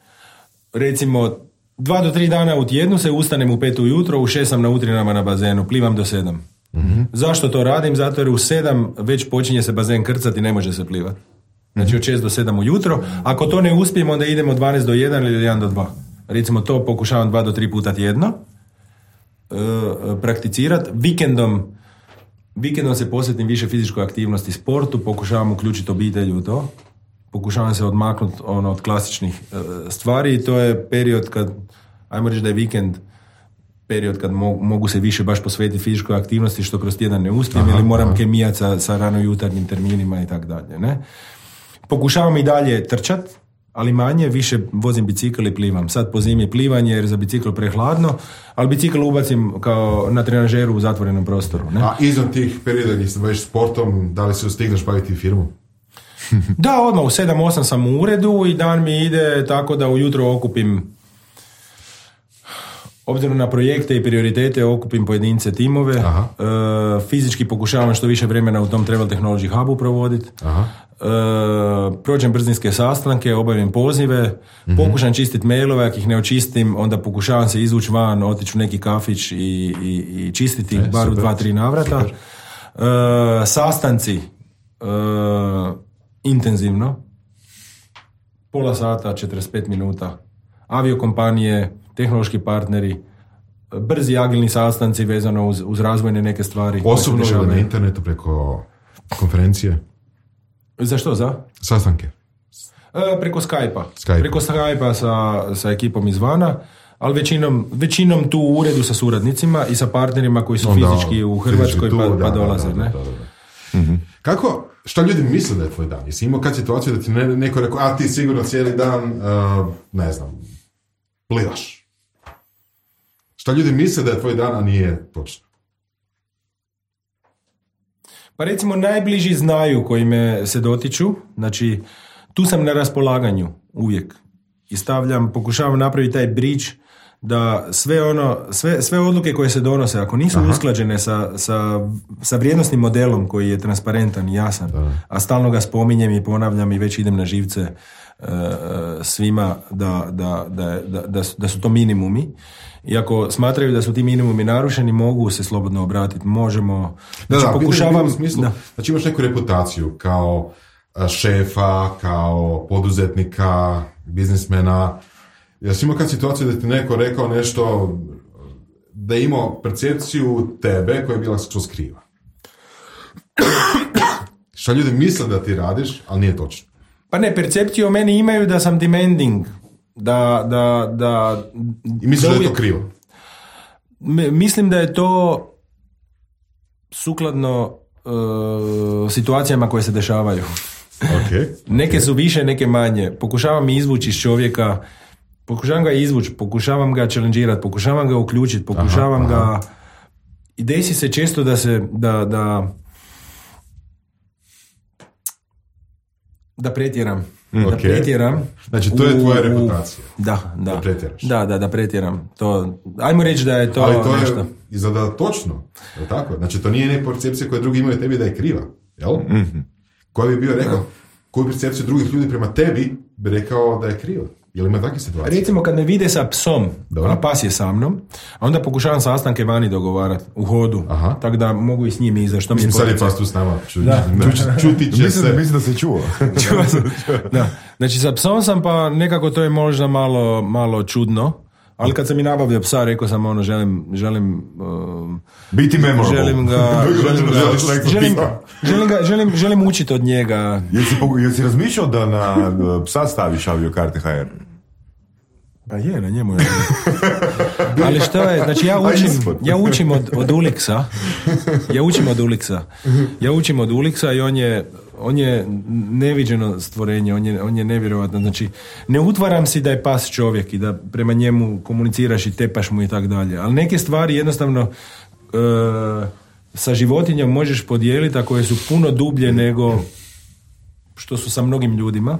Recimo, dva do tri dana u tjednu se ustanem u pet ujutro, u šest sam na utrinama na bazenu, plivam do sedam. Mm-hmm. Zašto to radim? Zato jer u sedam već počinje se bazen krcati i ne može se plivati. Znači od šest do sedam ujutro. Ako to ne uspijem, onda idemo od dvanaest do jedan ili od jedan do dva. Recimo to pokušavam dva do tri puta tjedno e, prakticirati. Vikendom, vikendom se posvetim više fizičkoj aktivnosti, sportu, pokušavam uključiti obitelj u to. Pokušavam se odmaknuti ono, od klasičnih e, stvari i to je period kad, ajmo reći da je vikend period kad mogu, mogu se više baš posvetiti fizičkoj aktivnosti što kroz tjedan ne uspijem aha, ili moram kemijati sa, sa rano jutarnjim terminima i tako dalje. Ne? Pokušavam i dalje trčat, ali manje, više vozim bicikl i plivam. Sad po zimi plivanje jer za bicikl prehladno, ali bicikl ubacim kao na trenažeru u zatvorenom prostoru. Ne? A izvan tih perioda gdje se baviš sportom, da li se stigneš baviti firmu? Da, odmah u sedam osam sam u uredu i dan mi ide tako da ujutro okupim, obzirom na projekte i prioritete, okupim pojedince, timove. E, fizički pokušavam što više vremena u tom Travel Technology Hubu provoditi. E, prođem brzinske sastanke, obavim pozive, mm-hmm. pokušam čistiti mailove, ako ih ne očistim, onda pokušavam se izvući van, otići u neki kafić i, i, i čistiti ih e, bar super, u dva, tri navrata. E, sastanci e, intenzivno, pola sata, četrdeset pet minuta, aviokompanije, tehnološki partneri, brzi agilni sastanci vezano uz, uz razvojne neke stvari. Osobno ili na internetu preko konferencije? Za što? Za? Sastanke. E, preko Skype-a. Skype. Preko Skype-a sa, sa ekipom izvana, ali većinom, većinom tu u uredu sa suradnicima i sa partnerima koji su onda, fizički u Hrvatskoj tu, pa, da, pa dolaze. Da, da, ne? Da, da, da. Mm-hmm. Kako, šta ljudi misle da je tvoj dan? Jesi imao kad situaciju da ti ne, neko rekao, a ti sigurno cijeli dan, uh, ne znam, plivaš? Šta ljudi misle da je tvoj dan, a nije točno? Pa recimo najbliži znaju koji me se dotiču, znači tu sam na raspolaganju uvijek i stavljam, pokušavam napraviti taj bridge da sve ono, sve, sve odluke koje se donose, ako nisu aha, usklađene sa, sa, sa vrijednosnim modelom koji je transparentan i jasan, da, a stalno ga spominjem i ponavljam i već idem na živce uh, svima da, da, da, da, da, da su to minimumi. I ako smatraju da su ti minimumi narušeni, mogu se slobodno obratiti, možemo... Znači, da, da, pokušavam... U smislu, da. Znači imaš neku reputaciju kao šefa, kao poduzetnika, biznismena. Ja sam imao kad situaciju da ti neko rekao nešto, da je imao percepciju tebe koja je bila što kriva. Šta ljudi misle da ti radiš, ali nije točno. Pa ne, percepciju o meni imaju da sam demanding. Da, da, da... I misliš da, da je to krivo? Mislim da je to sukladno uh, situacijama koje se dešavaju. Okay. Neke su više, neke manje. Pokušavam izvući iz čovjeka, pokušavam ga izvući, pokušavam ga challengeirati, pokušavam ga uključiti, pokušavam aha, aha. ga... I desi se često da se... Da, da, da pretjeram. Da okay. pretjeram. Znači, to je tvoja reputacija. Da, da. Da pretjeraš. Da, da, da pretjeram. To, ajmo reći da je to ali to nešto. Je izgleda točno. Je tako? Znači, to nije ne percepcija koja drugi imaju tebi da je kriva. Jel? Mm-hmm. Koji bi bio rekao, da. Koju percepciju drugih ljudi prema tebi bi rekao da je kriva? Jel ima takve situacije? Recimo, kad me vide sa psom, dobro, a pas je sa mnom, a onda pokušavam sastanke vani dogovarati, u hodu, tako da mogu i s njim izaći. Što mi mislim, sad je pas tu s nama. Ču, da. Ču, čuti će mislim, se. Mislim da se čuo. Da. Znači, sa psom sam, pa nekako to je možda malo, malo čudno, ali kad sam i nabavio psa, rekao sam ono, želim, želim uh, biti memorable. Želim ga, želim ga, želim, želim ga, želim, želim učiti od njega. Jesi, jesi razmišljao da na psa staviš aviokarte ha er? Pa je, na njemu je. Ali što je, znači ja učim, ja učim od, od Ulixa, ja učim od Ulixa, ja učim od Ulixa i on je, on je neviđeno stvorenje, on je, on je nevjerojatno, znači ne utvaram si da je pas čovjek i da prema njemu komuniciraš i tepaš mu i tak dalje, ali neke stvari jednostavno e, sa životinjom možeš podijeliti, a koje su puno dublje nego što su sa mnogim ljudima.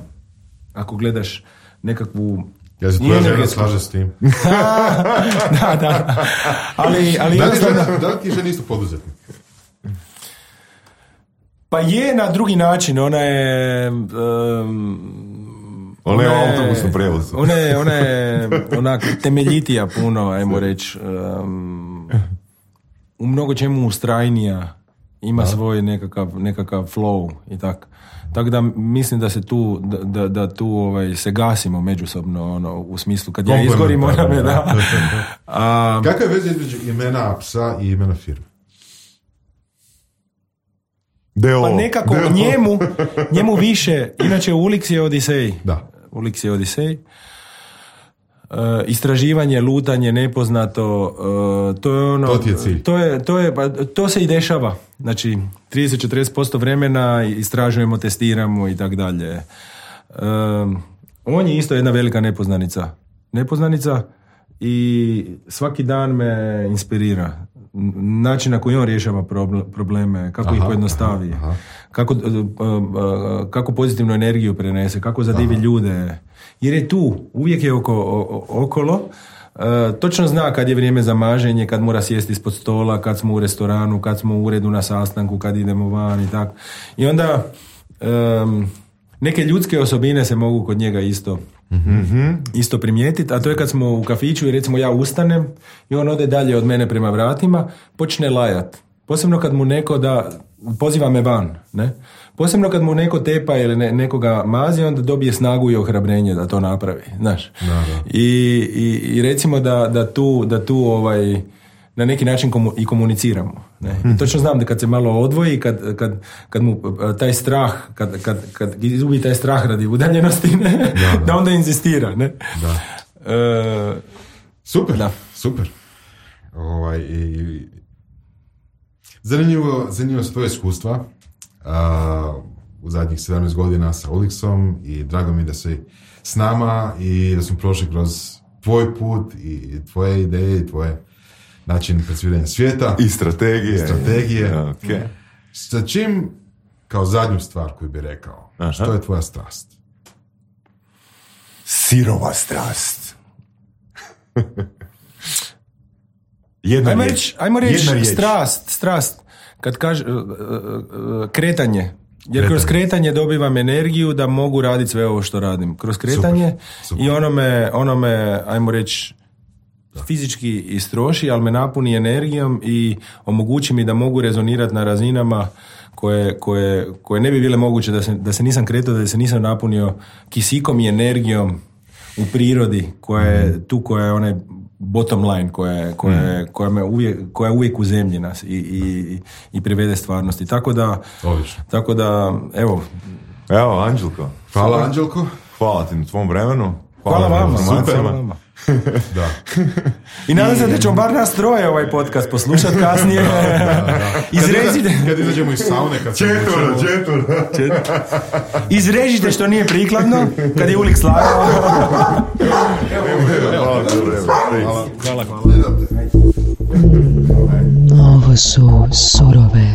ako gledaš nekakvu... Ja se tvoja žena slaže s tim. da, da. Ali, ali da, li jednostavno... žena, da li ti žena isto poduzetnik? Pa je na drugi način, ona je... Um, ona je u autobusnom prijevozu. Ona je, ona je onak temeljitija puno, ajmo reći. Um, u mnogo čemu ustrajnija. Ima da. svoj nekakav, nekakav flow i tako. Tako da mislim da se tu, da, da, da tu ovaj, se gasimo međusobno, ono, u smislu kad ja izgorim, ona me da. A, kakva je veza između imena psa i imena firme? Deo, pa nekako deo. njemu, njemu više, inače Ulix je Odisej. Da. Ulix je Odisej. Uh, istraživanje, lutanje, nepoznato, uh, to je ono... To ti je cilj. To, je, to, je, pa, to se i dešava. Znači, trideset do četrdeset posto vremena istražujemo, testiramo i tak dalje. Um, on je isto jedna velika nepoznanica. Nepoznanica i svaki dan me inspirira. Način na koji on rješava probleme, kako aha, ih pojednostavi, aha, aha. Kako, uh, uh, kako pozitivnu energiju prenese, kako zadivi aha. ljude. Jer je tu, uvijek je oko, o, okolo, uh, točno zna kad je vrijeme za maženje, kad mora sjesti ispod stola, kad smo u restoranu, kad smo u uredu na sastanku, kad idemo van i tako. I onda um, neke ljudske osobine se mogu kod njega isto mm-hmm. isto primijetiti, a to je kad smo u kafiću i recimo ja ustanem i on ode dalje od mene prema vratima, počne lajat. Posebno kad mu neko da, poziva me van, ne? Posebno kad mu neko tepa ili ne, nekoga mazi, onda dobije snagu i ohrabrenje da to napravi, znaš. Da, da. I, i, i recimo da, da tu, da tu ovaj, na neki način komu, i komuniciramo. Ne? I točno znam da kad se malo odvoji, kad, kad, kad mu taj strah, kad, kad, kad izgubi taj strah radi udaljenosti, ne? Da, da. da onda inzistira. Ne? Da. E, super, da. super. Ovaj, i, zanimljivo, zanimljivo su tvoje iskustva uh, u zadnjih sedamnaest godina sa Ulixom i drago mi da si s nama i da smo prošli kroz tvoj put i tvoje ideje i tvoje način percipiranja svijeta. I strategije. I strategije. Okay. Sa čim, kao zadnju stvar koju bi rekao, aha. što je tvoja strast? Sirova strast. Jedna ajmo riječ. reći, ajmo reći strast, strast. Kad kaže uh, uh, uh, kretanje. Jer kretanje. Kroz kretanje dobivam energiju da mogu raditi sve ovo što radim. Kroz kretanje super, super. I ono me, ono me, ajmo reći, fizički istroši, ali me napuni energijom i omogući mi da mogu rezonirati na razinama koje, koje, koje ne bi bile moguće da se, da se nisam kretao, da se nisam napunio kisikom i energijom u prirodi koja je tu, koja je onaj bottom line, koja je, koja je, koja me uvijek, koja je uvijek u zemlji nas i, i, i privede stvarnosti. Tako da, tako da evo. Evo, Anđelko. Hvala, Anđelko. Hvala ti na tvom vremenu. Hvala, hvala vama, super. Hvala vama. Da. I nadam se da ćemo bar nas troje ovaj podcast poslušati kasnije. Da, da, da. Izrežite. Kad, kad izađemo iz saune, kad se četvr, četvr. Izrežite što nije prikladno, kad je Ulix slagao. Hvala, hvala. Hvala, hvala. Ovo su surove